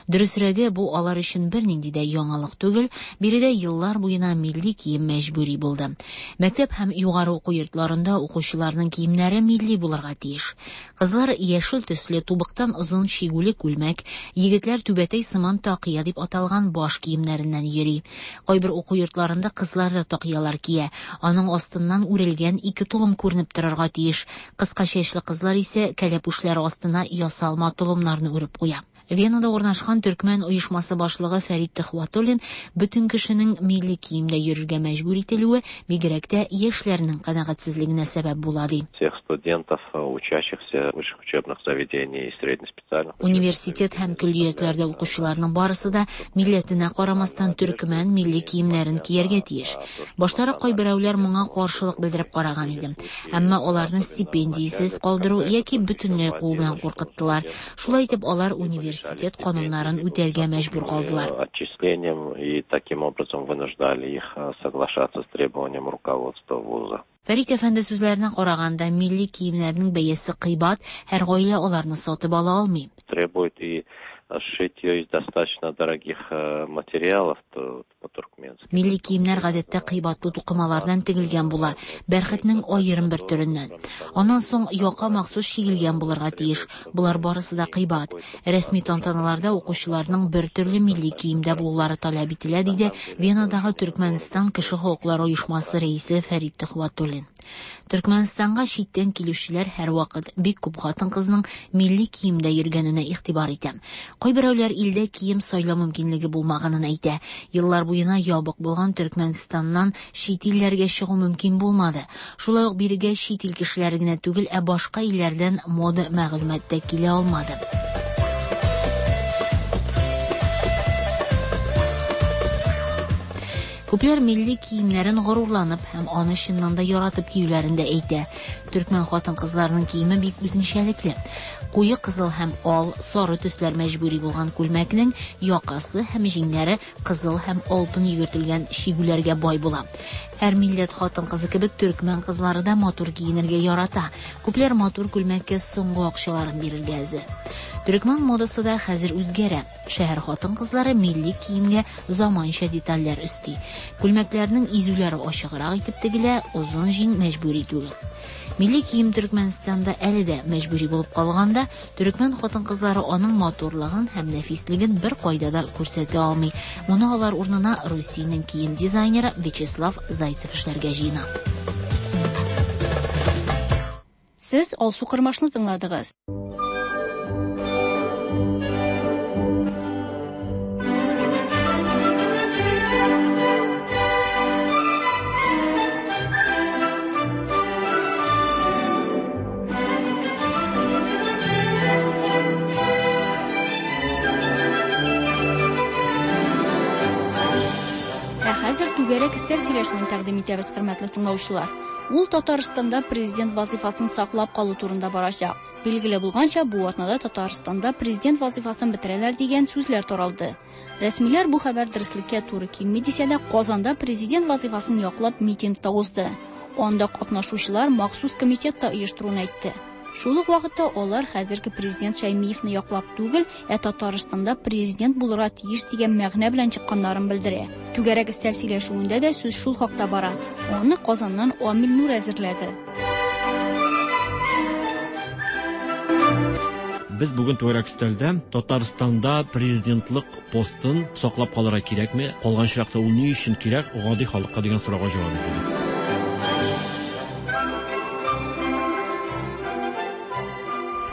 Дөресрәге, бу алар өчен бернинди дә яңалык түгел, биредә еллар буена милли кием мәҗбүри булды. Мәктәп һәм югары уку йортларында укучыларның киемнәре милли булырга тиеш. Кызлар яшел төсле тубыктан озын чигүле күлмәк, егетләр түбәтәй сыман такыя дип аталган баш киемнәреннән йөри. Кайбер уку йортларында кызлар да такыялар кия. Аның астыннан үрелгән ике толым күренеп торырга тиеш. Кыска чәчле кызлар исә кәләпүшләре астына ясалма толымнарны үреп куя. Венада урнашкан төркмән оешмасы башлыгы Фәрит Төхвәтуллин бөтен кешенең милли киемдә йөрергә мәҗбүр ителүе бигрәк тә яшьләрнең канәгатьсезлегенә сәбәп була ди. Всех студентов, учащихся высших учебных заведений и среднеспециальных Университет һәм көллиятләрдә укучыларның барысы да милләтенә карамастан төркмән милли киемнәрен кияргә тиеш. Баштарак кайберәүләр моңа каршылык белдереп караган иде. Әмма аларны стипендиясез калдыру яки бөтенләй куу белән куркыттылар. Шулай итеп алар университет кануннарын үтәргә мәҗбүр калдылар. Отчислением и таким образом вынуждали их соглашаться с требованием руководства вуза. Фәрит әфәнде сүзләренә караганда, милли киемнәрнең бәясе кыйбат, һәр гаилә аларны сатып ала алмый. Требует и сшить ее из достаточно дорогих материалов, то по-туркменски. Милли киемнәр гадәттә кыйбатлы тукымалардан тегелгән була, бәрхетнең аерым бер төреннән. Аннан соң яка махсус чигелгән булырга тиеш. Болар барысы да кыйбат. Рәсми тантаналарда укучыларның бер төрле милли киемдә булулары таләп ителә, диде Венадагы Төркмәнстан кеше хокуклары оешмасы рәисе Фәрит Төхвәтуллин. Төркмәнстанга читтән килүчеләр һәрвакыт бик күп хатын-кызның милли киемдә йөргәненә игътибар итә. Кайберәүләр илдә кием сайлау мөмкинлеге булмаганын әйтә. Еллар буена ябык булган Төркмәнстаннан чит илләргә чыгу мөмкин булмады. Шулай ук бирегә чит ил кешеләре генә түгел, ә башка илләрдән мода мәгълүмат та килә алмады. Күпләр милли киемнәрен горурланып һәм аны чыннан да яратып киюләрен дә әйтә. Төркмән хатын-кызларының киеме бик үзенчәлекле. Куе кызыл һәм ал, сары төсләр мәҗбүри булган күлмәкнең якасы һәм җиңнәре кызыл һәм алтын йөгертелгән чигүләргә бай була. Һәр милләт хатын-кызы кебек төркмән кызлары да матур киенергә ярата. Күпләр матур күлмәккә соңгы акчаларын бирергә әзер. Төркмән модасы да хәзер үзгәрә. Шәһәр хатын-кызлары милли киемгә заманча детальләр өсти. Күлмәкләрнең изүләре ачыграк итеп тегелә, озын җиң мәҗбүри түгел. Милли кием Төркмәнстанда әле дә мәҗбүри булып калганда, төркмән хатын-кызлары аның матурлыгын һәм нәфислеген беркайда да күрсәтә алмый. Моны алар урынына Русиянең кием дизайнеры Вячеслав Зайцев эшләргә җыена. Сез Алсу Кырмашны тыңладыгыз. Ә хәзер түгәрәк өстәл сөйләшүен тәкъдим итәбез, хөрмәтле тыңлаучылар. Ул Татарстанда президент вазыйфасын саклап калу турында барачак. Билгеле булганча, бу атнада Татарстанда президент вазыйфасын бетерәләр дигән сүзләр таралды. Рәсмиләр бу хәбәр дөреслеккә туры килми дисә дә, Казанда президент вазыйфасын яклап митинг та узды. Анда катнашучылар махсус комитет та оештыруын әйтте. Шул ук вакытта алар хәзерге президент Шәймиевны яклап түгел, ә Татарстанда президент булырга тиеш дигән мәгънә белән чыкканнарын белдерә. Түгәрәк өстәл сөйләшүендә дә сүз шул хакта бара. Аны Казаннан Амил Нур әзерләде. Без бүген түгәрәк өстәлдә Татарстанда президентлык постын саклап калырга кирәкме, калган очракта ул ни өчен кирәк гади халыкка дигән сорауга җавап эзлибез.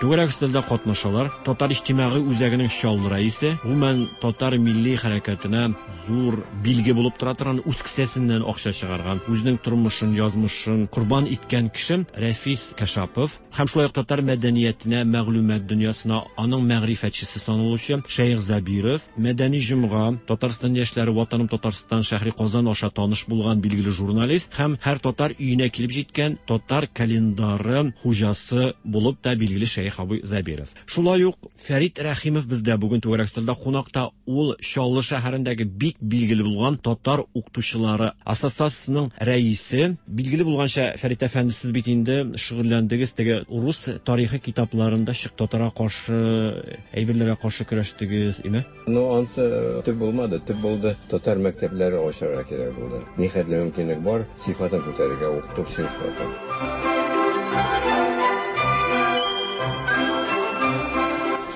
Түгәрәк өстәлдә катнашалар Татар иҗтимагый үзәгенең Чаллы рәисе, гомумән татар милли хәрәкәтенә зур билге булып тора торган, үз кесәсеннән акча чыгарган, үзенең тормышын, язмышын корбан иткән кеше Рәфис Кашапов һәм шулай ук татар мәдәниятенә, мәгълүмат дөньясына аның мәгърифәтчесе саналучы Шәех Зәбиров, Мәдәни җомга, Татарстан яшьләре, Ватаным Татарстан, Шәһри Казан аша таныш булган билгеле журналист һәм һәр татар өенә килеп җиткән татар календары хуҗасы булып та билгеле Шәех абый Зәбиров. Шулай ук Фәрит Рәхимов бездә бүген түгәрәк өстәлдә кунакта. Ул Чаллы шәһәрендәге бик билгеле булган татар укытучылары ассоциациясенең рәисе. Билгеле булганча, Фәрит әфәнде, сез бит инде шөгыльләндегез теге урыс тарихы китапларында чык татарга каршы әйберләргә каршы көрәштегез, име? Ну, ансы төп булмады, төп булды. Татар мәктәпләре ачарга кирәк булды. Нихәтле мөмкинлек бар, сыйфатын күтәрергә, укыту сыйфатын.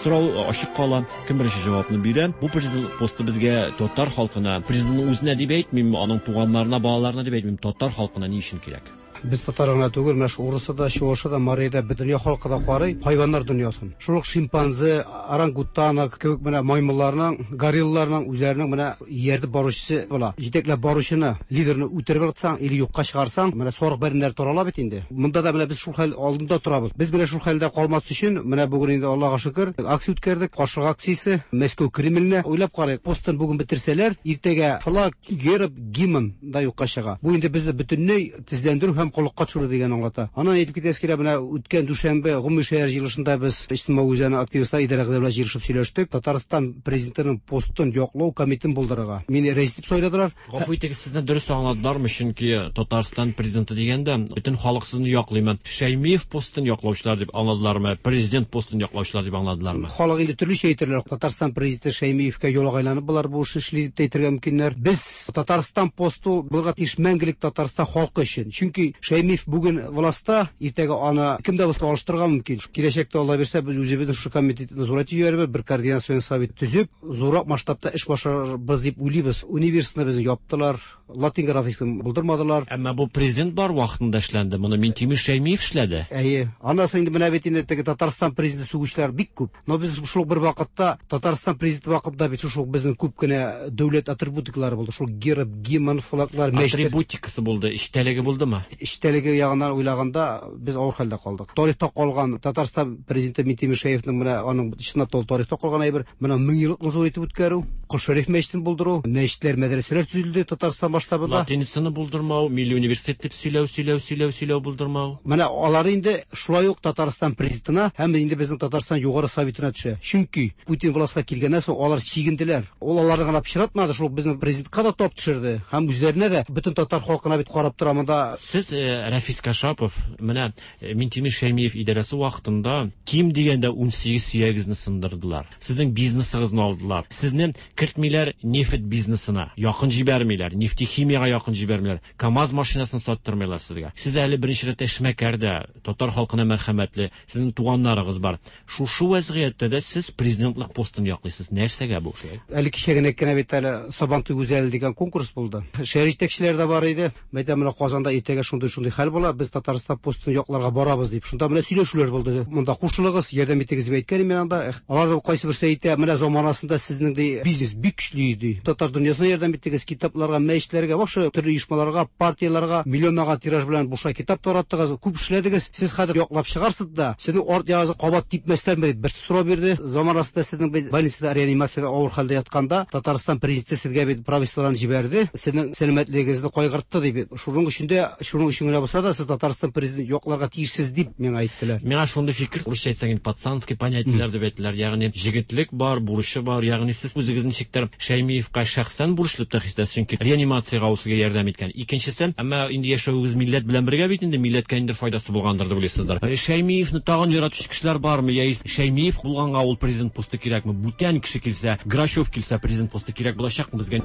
Сорау ачык кала, кем беренче җавапны бирә? Бу президент посты безгә, татар халкына, президентның үзенә дип әйтмим, аның туганнарына, балаларына дип әйтмим, татар халкына ни өчен кирәк? Без татар гына түгел, менә шу урысы да, чуашы да, марий да, бөтен дөнья халкы да карый хайваннар дөньясын. Шул ук шимпанзе, орангутана кебек менә маймылларның, горилларның үзләренең менә ияртеп баручысы була. Җитәкләп баручыны, лидерны үтереп ыргытсаң или юкка чыгарсаң, менә сарык бәрәннәре тарала бит инде. Монда да менә без шул хәл алдында торабыз. Без менә шул хәлдә калмас өчен, менә бүген инде Аллага шөкер, акция үткәрдек, каршылык акциясе, Мәскәү Кремленә. Уйлап карыйк, постын бүген бетерсәләр, иртәгә флаг, герб, гимн да юкка чыга. Бу инде безне бөтенләй тезләндерү һәм коллыкка төшерү дигән аңлата. Аннан әйтеп китәсе килә, менә үткән дүшәмбе гомуми шәһәр җыелышында без иҗтимагый үзәнең активистлар идарә белән җыелышып сөйләштек. Татарстан президентының постын яклау комитетын булдырырга. Мине рәис дип сайладылар. Гафу итегез, сезне дөрес аңладылармы? Чөнки Татарстан президенты дигәндә, бөтен халык сезне яклыймы? Шәймиев постын яклаучылар дип аңладылармы? Президент постын яклаучылар дип аңладылармы? Халык инде төрлечә әйтерләр. Татарстан президенты Шәймиевкә ялагайланып болар бу эшне эшли дип тә әйтергә мөмкиннәр. Без Татарстан посты булырга тиеш мәңгелек Татарстан халкы өчен. Чөнки Шәймиев бүген властьта, иртәгә аны кем дә булса алыштырырга мөмкин. Киләчәктә, Алла бирсә, без үзебезнең шушы комитетны зурайтып җибәрербез, бер координацион совет төзеп, зуррак масштабта эш башларбыз дип уйлыйбыз. Университетны безнең яптылар, латин графикасын булдырмадылар. Әмма бу президент бар вакытында эшләнде. Моны Минтимер Шәймиев эшләде. Әйе. Аннан соң инде менә бит инде теге Татарстан президенты сүгүчеләр бик күп. Но без шул ук бер вакытта Татарстан президенты вакытында бит шул ук безнең күп кенә дәүләт атрибутикалары булды. Шул герб, гимн, флаглар, мәчетләр. Атрибутикасы булды, эчтәлеге булдымы? эчтәлеге ягыннан уйлаганда без авыр хәлдә калдык. Тарихта калган Татарстан президенты Минтимер Шәймиевның менә аның чынлап та ул тарихта калган әйбер, менә меңьеллыкны зур итеп үткәрү, Кол Шәриф мәчетен булдыру, мәчетләр, мәдрәсәләр төзелде Татарстан масштабында. Латиницаны булдырмау, милли университет дип сөйләү, сөйләү, сөйләү, сөйләү булдырмау. Менә алары инде шулай ук Татарстан президентына һәм инде безнең Татарстан Югары Советына төшә. Чөнки Путин властька килгәннән соң алар чигенделәр. Ул аларны гына пычратмады, шул ук безнең президентка да тап төшерде һәм үзләренә дә, бөтен татар халкына бит карап тора монда. Сез, Рәфис Кашапов, менә Минтимер Шәймиев идарәсе вакытында ким дигәндә 18 сөягегезне сындырдылар. Сезнең бизнесыгызны алдылар. Сезне кертмиләр нефть бизнесына, якын җибәрмиләр, нефтехимиягә якын җибәрмиләр. КАМАЗ машинасын саттырмыйлар сезгә. Сез әле беренче рәттә эшмәкәр дә, татар халкына мәрхәмәтле, сезнең туганнарыгыз бар. Шушы вәзгыятьтә дә сез президентлык постын яклыйсыз. Нәрсәгә бу шулай? Әле кичә генә кенә бит әле Сабантуй гүзәле дигән конкурс булды. Шәһәр җитәкчеләре дә бар иде. Мәйтәм, менә Казанда иртәгә шундый-шундый хәл була, без Татарстан постын якларга барабыз дип. Шунда менә сөйләшүләр булды. Монда кушылыгыз, ярдәм итегез дип әйткән идем мин анда. Алар кайсы берсе әйтә, менә заманасында сезнең ди бизнес бик көчле иде. Татар дөньясына ярдәм иттегез, китапларга, мәчетләргә, вообще төрле оешмаларга, партияләргә миллионлаган тираж белән бушлай китап тараттыгыз, күп эшләдегез. Сез хәзер яклап чыгарсыз да, сезнең арт ягыгызны кабат типмәсләрме дип берсе сорау бирде. Заманасында сезнең бит больницада реанимациядә авыр хәлдә ятканда Татарстан президенты сезгә бит правительстводан җибәрде, сезнең сәламәтлегегезне кайгыртты дип. Шуның өчен дә, шуның өчен генә булса да, сез Татарстан президентын якларга тиешсез дип миңа әйттеләр. Миңа шундый фикер, урысча әйтсәң инде пацанский понятиеләр дип әйттеләр, ягъни җегетлек бар, бурычы бар, ягъни сез үзегез ничектер Шәймиевка шәхсән бурычлы дип тә хис итәсез, чөнки реанимациягә ул сезгә ярдәм иткән. Икенчесе, әмма инде яшәвегез милләт белән бергә бит инде, милләткә ниндидер файдасы булгандыр дип уйлыйсыздыр. Шәймиевны тагын яратучы кешеләр бармы, яисә Шәймиев булганга ул президент посты кирәкме? Бүтән кеше килсә, Грачев килсә, президент посты кирәк булачакмы безгә?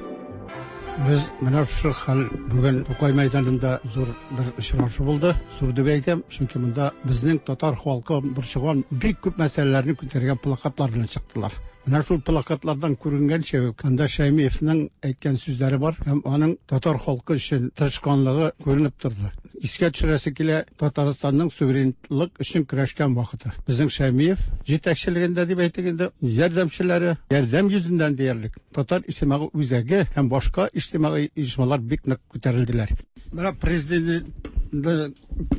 Без менә шушы хәл бүген Тукай мәйданында зур бер очрашу булды. Зур дип әйтәм, чөнки монда безнең татар халкы борчыган бик күп мәсьәләләрне күтәргән плакатлар белән чыктылар. Менә шул плакатлардан күренгәнчә үк, анда Шәймиевнең әйткән сүзләре бар һәм аның татар халкы өчен тырышканлыгы күренеп торды. Искә төшерәсе килә, Татарстанның суверенлык өчен көрәшкән вакыты. Безнең Шәймиев җитәкчелегендә дип әйтик инде, ярдәмчеләре, ярдәм йөзеннән диярлек, Татар иҗтимагый үзәге һәм башка иҗтимагый оешмалар бик нык күтәрелделәр. Менә президент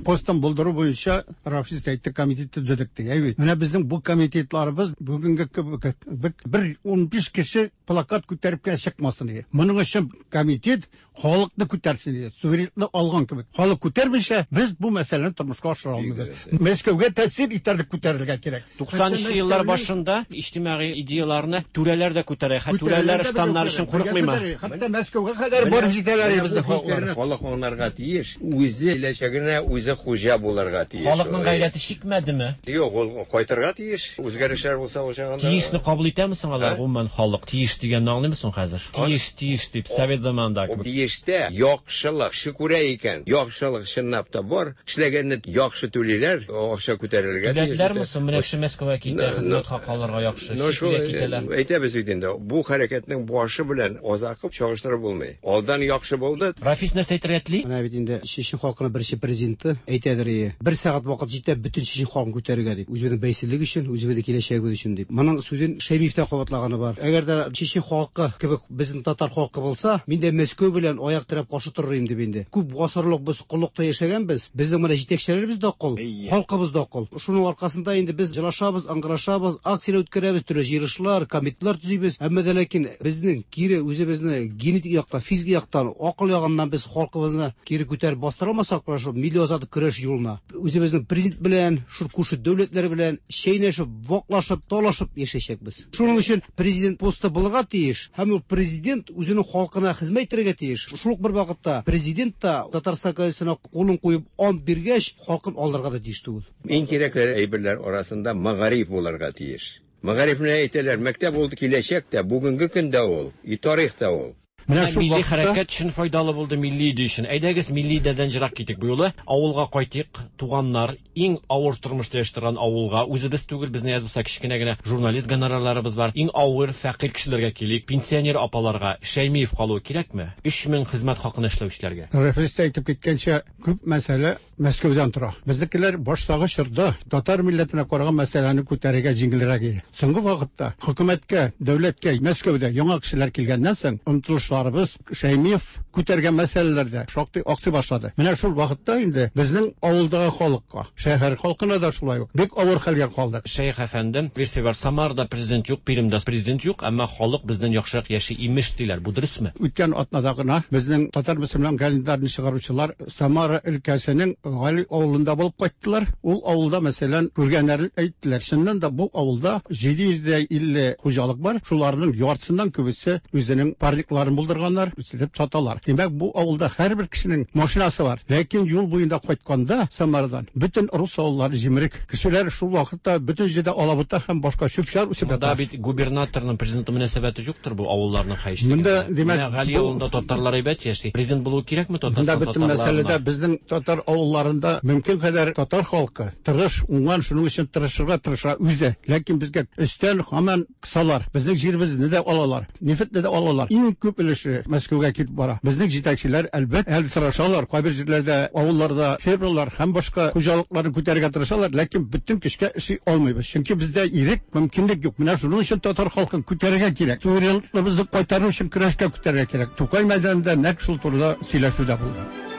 постын булдыру буенча Рафис әйтте, комитет төзедек ди. Әйе. Менә безнең бу комитетларыбыз бүгенге кебек бер 15 кеше плакат күтәреп кенә чыкмасын иде. Моның өчен комитет халыкны күтәрсен иде. Суверенлыкны алган кебек. Халык күтәрмичә, без бу мәсьәләне тормышка ашыра алмыйбыз. Мәскәүгә тәэсир итәрлек күтәрергә кирәк. 90 еллар башында иҗтимагый идеяларны түрәләр дә күтәрә. Хәтта түрәләр штаннар өчен курыкмыймы? Хәтта Мәскәүгә кадәр барып җитәләр безнең халыклар. Халык аңларга тиеш, үзе киләчәгенә үзе хуҗа булырга тиеш. Халыкның гайрәте чикмәдеме? Юк, ул кайтырга тиеш. Үзгәрешләр булса ул чагында. Тиешне кабул итәме соң алар, гомумән халык? Тиеш дигәнне аңлыймы соң хәзер? Тиеш, тиеш дип, совет заманында кебек. Тиештә яхшылык, кеше күрә икән, яхшылык чынлап та бар, эшләгәнне яхшы түлиләр, акча күтәрелергә тиеш. Түләделәрме соң? Менә кеше Мәскәүгә китә, хезмәт хакы алырга яхшы, чит илгә китәләр. Әйтәбез бит инде, бу хәрәкәтнең башы белән азакы чагыштырып булмый. Алдан яхшы булды. Рафис нәрсә әйтергә тели? Менә бит инде чечен халкының беренче президенты әйтәдер ие, бер сәгать вакыт җитә бөтен чечен халкын күтәрергә дип, үзебезнең бәйсезлек өчен, үзебезнең киләчәгебез өчен дип. Моның сүзен Шәймиев тә кабатлаганы бар. Әгәр дә чечен халкы кебек безнең татар халкы булса, мин дә Мәскәү белән аяк терәп каршы торыр идем дип инде. Күп гасырлык без коллыкта яшәгәнбез. Безнең менә җитәкчеләребез дә кол, халкыбыз да кол. Шуның аркасында инде без җылашабыз, ыңгырашабыз, акцияләр үткәрәбез, төрле җыелышлар, комитетлар төзибез. Әмма дә ләкин безнең кире үзебезне генетик яктан, физик яктан, акыл ягыннан без халкыбызны кире күтәреп бастыра алмасак, менә шул милли азатлык көрәш юлына үзебезнең президент белән, шул күрше дәүләтләр белән чәйнәшеп, ваклашып, талашып яшәячәкбез. Шуның өчен президент посты булырга тиеш һәм ул президент үзенең халкына хезмәт итәргә тиеш. Шул ук бер вакытта президент та Татарстан Конституциясенә кулын куеп ант биргәч, халкын алдарга да тиеш түгел. Иң кирәкле әйберләр арасында мәгариф булырга тиеш. Мәгарифне әйтәләр, мәктәп ул киләчәк тә, бүгенге көндә ул, и тарих та ул. Менә шул милли хәрәкәт өчен файдалы булды, милли идея өчен. Әйдәгез, милли идеядән җырак китик бу юлы. Авылга кайтыйк, туганнар, иң авыр тормышта яши торган авылга. Үзебез түгел, безнең әз булса кечкенә генә журналист гонорарларыбыз бар. Иң авыр, фәкыйрь кешеләргә килик. Пенсионер апаларга Шәймиев калуы кирәкме? 3000 хезмәт хакына эшләүчеләргә. Рәфис әйтеп киткәнчә, күп мәсьәлә Мәскәүдән тора. Безнекеләр баштагы чорда татар милләтенә караган мәсьәләне күтәрергә җиңелрәк иде. Соңгы вакытта хөкүмәткә, дәүләткә Мәскәүдә яңа кешеләр килгәннән соң, омтылышларыбыз Шәймиев күтәргән мәсьәләләрдә шактый аксый башлады. Менә шул вакытта инде безнең авылдагы халыкка, шәһәр халкына да шулай ук бик авыр хәлгә калдык. Шәех әфәндем, версия бар, Самарада президент юк, Пермьдә президент юк, әмма халык бездән яхшырак яши, имеш, диләр. Бу дөресме? Үткән атнада гына безнең татар-мөселман календарен чыгаручылар Самара өлкәсенең Гали авылында булып кайттылар. Ул авылда, мәсәлән, күргәннәрен әйттеләр. Чыннан да бу авылда 750 хуҗалык бар. Шуларның яртысыннан күбесе үзенең парникларын булдырганнар, үстереп саталар. Димәк, бу авылда һәрбер кешенең машинасы бар. Ләкин юл буенда кайтканда Самарадан бөтен рус авыллары җимерек. Кешеләр шул вакытта бөтен җирдә алабута һәм башка чүп-чар үсеп ята. Монда бит губернаторның президентның мөнәсәбәте юктыр бу авылларның хәешлегендә. Монда, димәк, Менә Гали авылында татарлар әйбәт яши. Президент булуы кирәкме Татарстан татарларына? Монда бөтен мәсьәләдә безнең татар авылларында мөмкин кадәр татар халкы тырыш, уңган, шуның өчен тырышырга тырыша үзе. Ләкин безгә өстән һаман кысалар. Безнең җиребезне дә алалар, нефтьне дә алалар. Иң күп өлеше Мәскәүгә китеп бара. Безнең җитәкчеләр, әлбәт, әле тырышалар. Кайбер җирләрдә, авылларда фермерлар һәм башка хуҗалыкларны күтәрергә тырышалар, ләкин бөтен көчкә эшли алмыйбыз. Чөнки бездә ирек, мөмкинлек юк. Менә шуның өчен татар халкын күтәрергә кирәк. Суверенлыгыбызны кайтару өчен көрәшкә күтәрергә кирәк. Тукай мәйданында нәкъ шул турыда сөйләшү дә булды.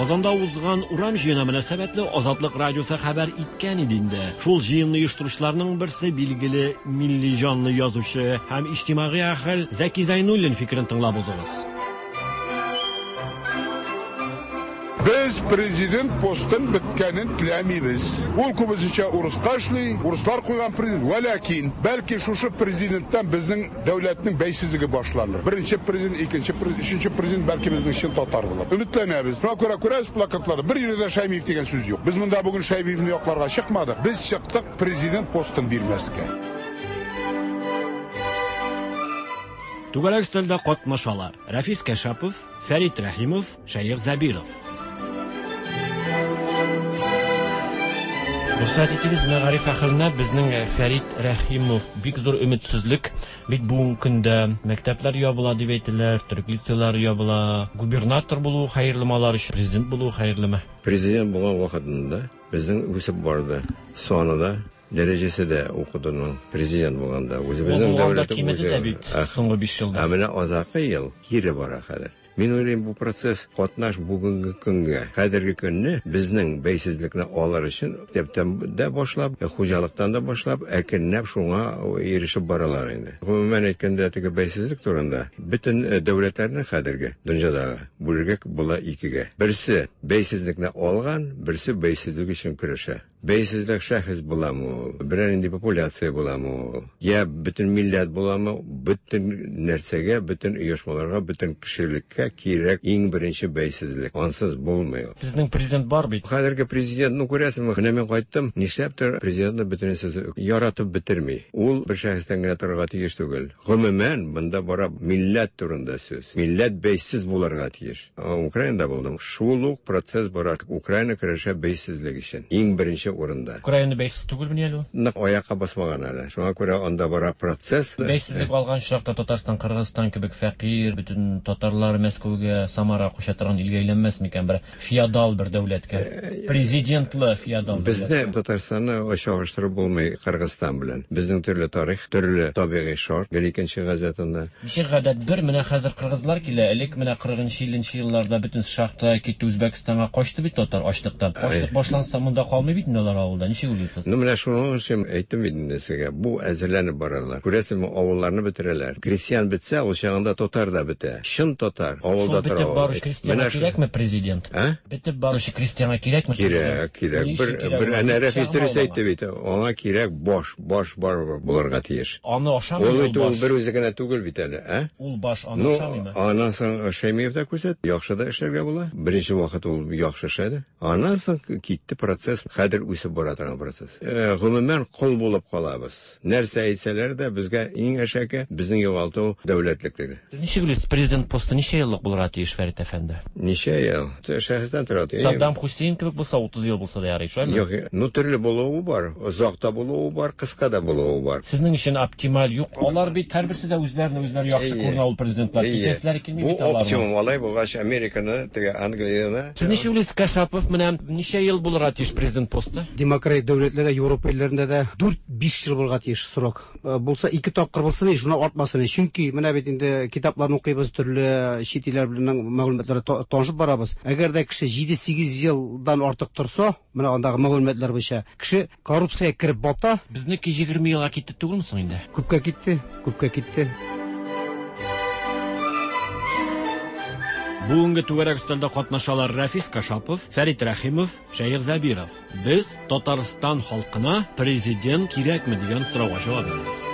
Казанда узган урам җыены мөнәсәбәтле Азатлык радиосы хәбәр иткән иде инде. Шул җыенны оештыручыларның берсе билгеле милли җанлы язучы һәм иҗтимагый әһел Зәки Зәйнуллин фикерен тыңлап узыгыз. Без президент постын беткәнен теләмибез. Ул күбесенчә урыска эшли, урыслар куйган президент. Вәләкин, бәлки шушы президенттан безнең дәүләтнең бәйсезлеге башланыр. Беренче президент, икенче президент, өченче президент бәлки безнең чын татар булыр. Өметләнәбез. Шуңа күрә күрәсез плакатларда бер җирдә дә Шәймиев дигән сүз юк. Без монда бүген Шәймиевне якларга чыкмадык. Без чыктык президент постын бирмәскә. Түгәрәк өстәлдә катнашалар. Рәфис Кәшапов, Фәрит Рәхимов, Шәех Зәбиров. Рөхсәт итегез, мәгариф әһеленә безнең э, Фәрит Рәхимов бик зур өметсезлек. Бит бүгенге көндә мәктәпләр ябыла дип әйтәләр, төрек лицейлары ябыла. Губернатор булу хәерлеме алар өчен, президент булу хәерлеме? Президент булган вакытында безнең үсеп барды. Саны да, дәрәҗәсе дә укытуның президент булганда. Үзебезнең дәүләт кимеде дә бит соңгы 5 елда. Ә менә азакы ел кире бара хәзер. Мин уйлыйм, бу процесс катнаш бүгенге көнгә. Хәзерге көнне безнең бәйсезлекне алыр өчен мәктәптән дә башлап, хуҗалыктан да башлап, әкренләп шуңа ирешеп баралар инде. Гомумән әйткәндә, теге бәйсезлек турында бөтен э, дәүләтләрне хәзерге дөньядагы бүлергә була икегә. Берсе бәйсезлекне алган, берсе бәйсезлек өчен көрәшә. Бәйсезлек шәхес буламы ул, берәр нинди популяция буламы ул, я бөтен милләт буламы, бөтен нәрсәгә, бөтен оешмаларга, бөтен кешелеккә кирәк иң беренче бәйсезлек. Ансыз булмый ул. Безнең президент бар бит. Хәзерге президент, ну күрәсеңме, менә мин кайттым, нишләптер президентны бөтенесе яратып бетерми. Ул бер шәхестән генә торырга тиеш түгел. Гомумән, монда бара милләт турында сүз. Милләт бәйсез булырга тиеш. Украинада булдым. Шул ук процесс бара. Украина көрәшә бәйсезлек өчен. Иң беренче урында. Украина бәйсез түгелмени әле ул? Нык аякка басмаган әле. Шуңа күрә анда бара процесс. Бәйсезлек алган очракта Татарстан, Кыргызстан кебек фәкыйрь, бөтен татарлар Мәскәүгә, Самарага күчә торган илгә әйләнмәс микән? Бер феодал бер дәүләткә. Президентлы феодал дәүләткә. Безне Татарстанны чагыштырып булмый Кыргызстан белән. Безнең төрле тарих, төрле табигый шарт. Гел икенче газетанда. Ничек гадәт бер, менә хәзер кыргызлар килә, элек менә кырыгынчы, илленче елларда бөтен шахтага китте, Үзбәкстанга качты бит татар ачлыктан. Ачлык башланса, монда калмый бит инде алар авылда, ничек уйлыйсыз? Ну менә шуның өчен әйттем бит инде сезгә, бу әзерләнеп баралар. Күрәсезме, авылларны бетерәләр. Крестьян бетсә, ул чагында татар да бетә. Чын татар авылда тора. Шул бетеп баручы крестьянга кирәкме президент? Ә? Бетеп баручы крестьянга кирәкме? Кирәк, кирәк. Бер, бер әнә Рәфис дөрес әйтте бит. Аңа кирәк баш, баш барыбер булырга тиеш. Аны ашамый ул баш. Ул бер үзе генә түгел бит әле, ә? Ул баш аны ну, ашамыймы? Аннан соң Шәймиев та күрсәтте, яхшы да эшләргә була. Беренче вакыт ул яхшы эшләде. Аннан соң китте процесс. Хәзер үсеп бара торган процесс. Гомумән, кол булып калабыз. Нәрсә әйтсәләр дә, безгә иң әшәке безнең югалту дәүләтлеклеге. Сез ничек уйлыйсыз, президент посты ничә еллык булырга тиеш, Фәрит әфәнде? Ничә ел? Шәхестән тора. Саддам Хусейн кебек булса, 30 ел булса да ярый, шулаймы? Юк, ну төрле булуы бар. Озак та булуы бар, кыска да булуы бар. Сезнең өчен оптималь юк. Алар бит һәрберсе дә үзләрен үзләре яхшы күренә ул президентлар. Китәселәре килми бит аларның. Бу оптимум, алай булгач, Американы, теге Англияне. Сез ничек уйлыйсыз, Кашапов, менә ничә ел булырга тиеш президент посты? Демократик дәүләтләрдә, Европа илләрендә дә 4-5 ел булырга тиеш срок. Булса ике тапкыр булсын, шуннан артмасын. Чөнки менә бит инде китапларны укыйбыз, төрле чит илләр белән мәгълүматларга танышып барабыз. Әгәр дә кеше 7-8 елдан артык торса, менә андагы мәгълүматлар буенча, кеше коррупциягә кереп бата. Безнеке 20 елга китте түгелме соң инде? Күпкә китте, күпкә китте. Бүгенге түгәрәк өстәлдә катнашалар Рәфис Кашапов, Фәрит Рәхимов, Шәех Зәбиров. Без Татарстан халкына президент кирәкме дигән сорауга җавап бирәбез.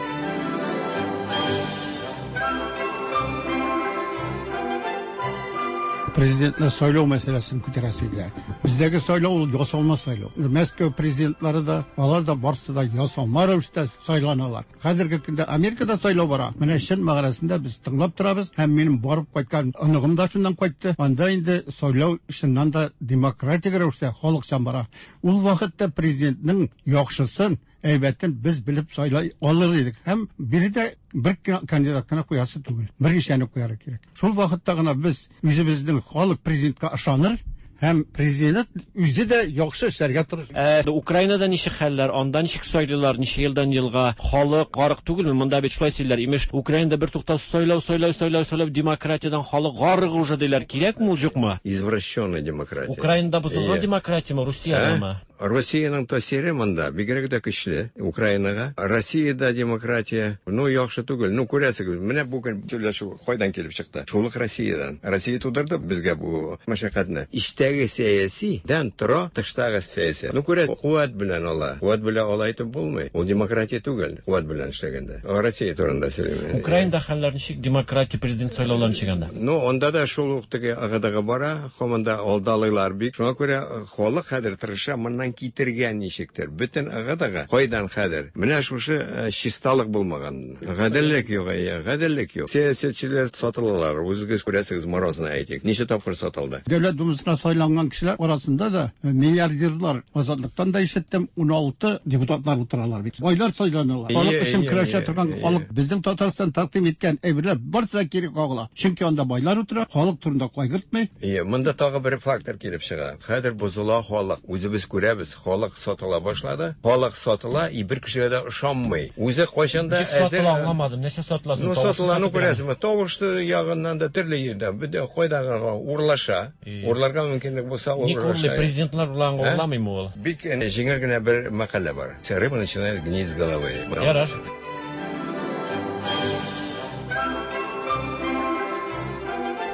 Президентны сайлау мәсьәләсен күтәрәсе килә. Бездәге сайлау ул ясалма сайлау. Мәскәү президентлары да, алар да барсы да ясалма рәвештә сайланалар. Хәзерге көндә Америкада сайлау бара. Менә чын мәгънәсендә без тыңлап торабыз һәм минем барып кайткан оныгым да шуннан кайтты. Анда инде сайлау чыннан да демократик рәвештә халыкчан бара. Ул вакытта президентның яхшысын, әйбәтен без белеп сайлай алыр идек. Һәм биредә бер кандидат кына куясы түгел, берничәне куярга кирәк. Шул вакытта гына без үзебезнең халык президентка ышаныр һәм президент үзе дә яхшы эшләргә тырышыр. Ә Украинада ничек хәлләр, анда ничек сайлыйлар, ничә елдан елга халык гарык түгелме? Монда бит шулай сөйлиләр, имеш, Украинада бертуктаусыз сайлау, сайлау, сайлау, сайлау, демократиядән халык гарык уже диләр. Кирәкме ул, юкмы? Извращенная демократия. Украинада бозылган демократияме, Русиядәме? Россиянең тәэсире монда бигрәк тә көчле Украинага. Россиядә демократия, ну, яхшы түгел. Ну, күрәсегез, менә бүген сөйләшү кайдан килеп чыкты? Шул ук Россиядән. Россия тудырды безгә бу мәшәкатьне. Эчтәге сәяси дән тора тыштагы сәясәт. Ну, күрәсез, куәт белән ала. Куәт белән алай итеп булмый. Ул демократия түгел, куәт белән эшләгәндә. Россия турында сөйлим. Украинада хәлләр ничек? Демократия, президент сайлаулары ничек анда? Ну, анда да шул ук теге ыгы-дыгы бара, һаман да алдалыйлар бик. Шуңа күрә Халык хәзер тырыша моннан китергә ничектер. Бөтен ыгы-дыгы кайдан хәзер? Менә шушы чисталык булмаган. Гаделлек юк, әйе, гаделлек юк. Сәясәтчеләр сатылалар. Үзегез күрәсегез, Морозны әйтик. Ничә тапкыр сатылды? Дәүләт Думасына сайланган кешеләр арасында да миллиардерлар, Азатлыктан да ишеттем, 16 депутатлар утыралар бит. Байлар сайланалар. Халык өчен көрәшә торган халык. Безнең Татарстан тәкъдим иткән әйберләр барысы да кире кагыла. Чөнки анда байлар утыра, халык турында кайгыртмый. Әйе, монда тагы бер фактор килеп чыга. Хәзер бозыла халык. Үзебез күрәбез, халык сатыла башлады. Халык сатыла, и бер кешегә дә ышанмый. Үзе кайчан да Ничек сатыла, аңламадым. Нәрсә сатыла соң? Ну, сатыла, ну күрәсезме, тавыш ягыннан да төрле җирдән. Бөтен кайда гына урлаша. Урларга мөмкинлек булса, урлаша. Ник урлый? Президентлар урланга урламыймы ул? Бик җиңел генә бер мәкалә бар. Рыба начинает гнить с головы. Ярар.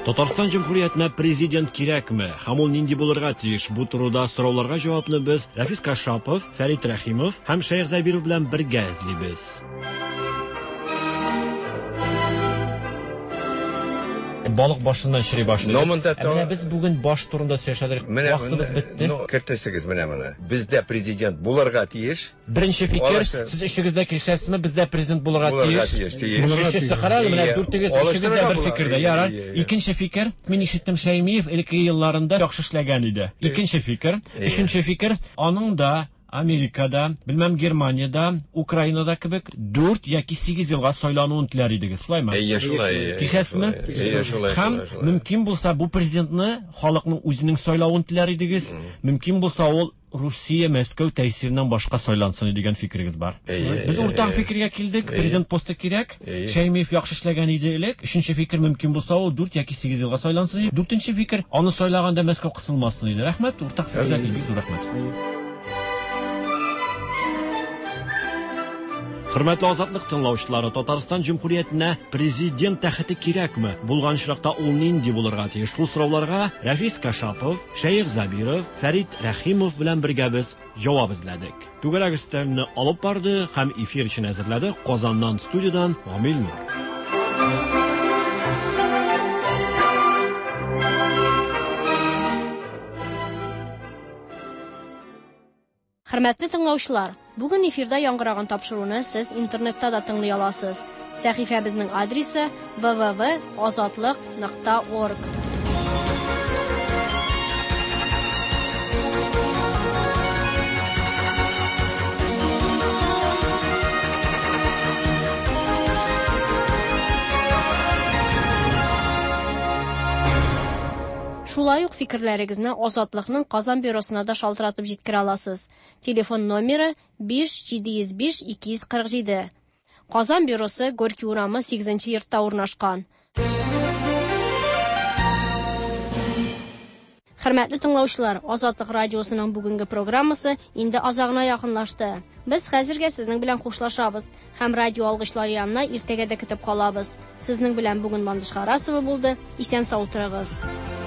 Татарстан Җөмһүриятенә президент кирәкме? Һәм ул нинди булырга тиеш? Бу турыда сорауларга җавапны без Рәфис Кашапов, Фәрит Рәхимов һәм Шәех Зәбиров белән бергә эзлибез. Балык башыннан чери башлый. Но монда Ә менә без бүген баш турында сөйләшәдер. Вакытыбыз бетте. Ну, кертәсегез менә моны. Бездә президент булырга тиеш. Беренче фикер, сез өчегез дә килешәсезме, бездә президент булырга тиеш? Өченчесе, карагыз, менә дүртегез, өчегез дә бер фикердә. Ярар. Икенче фикер, мин ишеттем, Шәймиев элеккеге елларында яхшы эшләгән иде. Икенче фикер. Өченче фикер, аның да Америкада, белмәм, Германиядә, Украинада кебек 4 яки 8 елга сайлануын теләр идегез, шулаймы? Әйе, шулай. Килешәсезме? Әйе, шулай. Һәм мөмкин булса, бу президентны халыкның үзенең сайлавын теләр идегез. Мөмкин булса, ул Русия Мәскәү тәэсиреннән башка сайлансын дигән фикерегез бар. Без уртак фикергә килдек, президент посты кирәк. Шәймиев яхшы эшләгән иде элек. Өченче фикер, мөмкин булса, ул 4 яки 8 елга сайлансын иде. Дүртенче фикер, аны сайлаганда Мәскәү кысылмасын иде. Рәхмәт, уртак фикергә килдек, зур рәхмәт. Хөрмәтле Азатлык тыңлаучылары, Татарстан Җөмһүриятенә президент тәхете кирәкме? Булган очракта ул нинди булырга тиеш? Шул сорауларга Рәфис Кашапов, Шәех Забиров, Фәрит Рәхимов белән бергә без җавап эзләдек. Түгәрәк өстәлне алып барды һәм эфир өчен әзерләде Казаннан студиядән Гамил Нур. Хөрмәтле тыңлаучылар, бүген эфирда яңгыраган тапшыруны сез интернетта да тыңлый аласыз. Сәхифәбезнең адресы www.azatliq.org. Шулай ук фикерләрегезне Азатлыкның Казан бюросына да шалтыратып җиткерә аласыз. Телефон номеры 5 705 247. Казан бюросы Горький урамы 8 нче йортта урнашкан. Хөрмәтле тыңлаучылар, Азатлык радиосының бүгенге программасы инде азагына якынлашты. Без хәзергә сезнең белән хушлашабыз һәм радио алгычлар янына иртәгә дә көтеп калабыз. Сезнең белән бүген Ландыш Харасова булды. Исән сау торыгыз.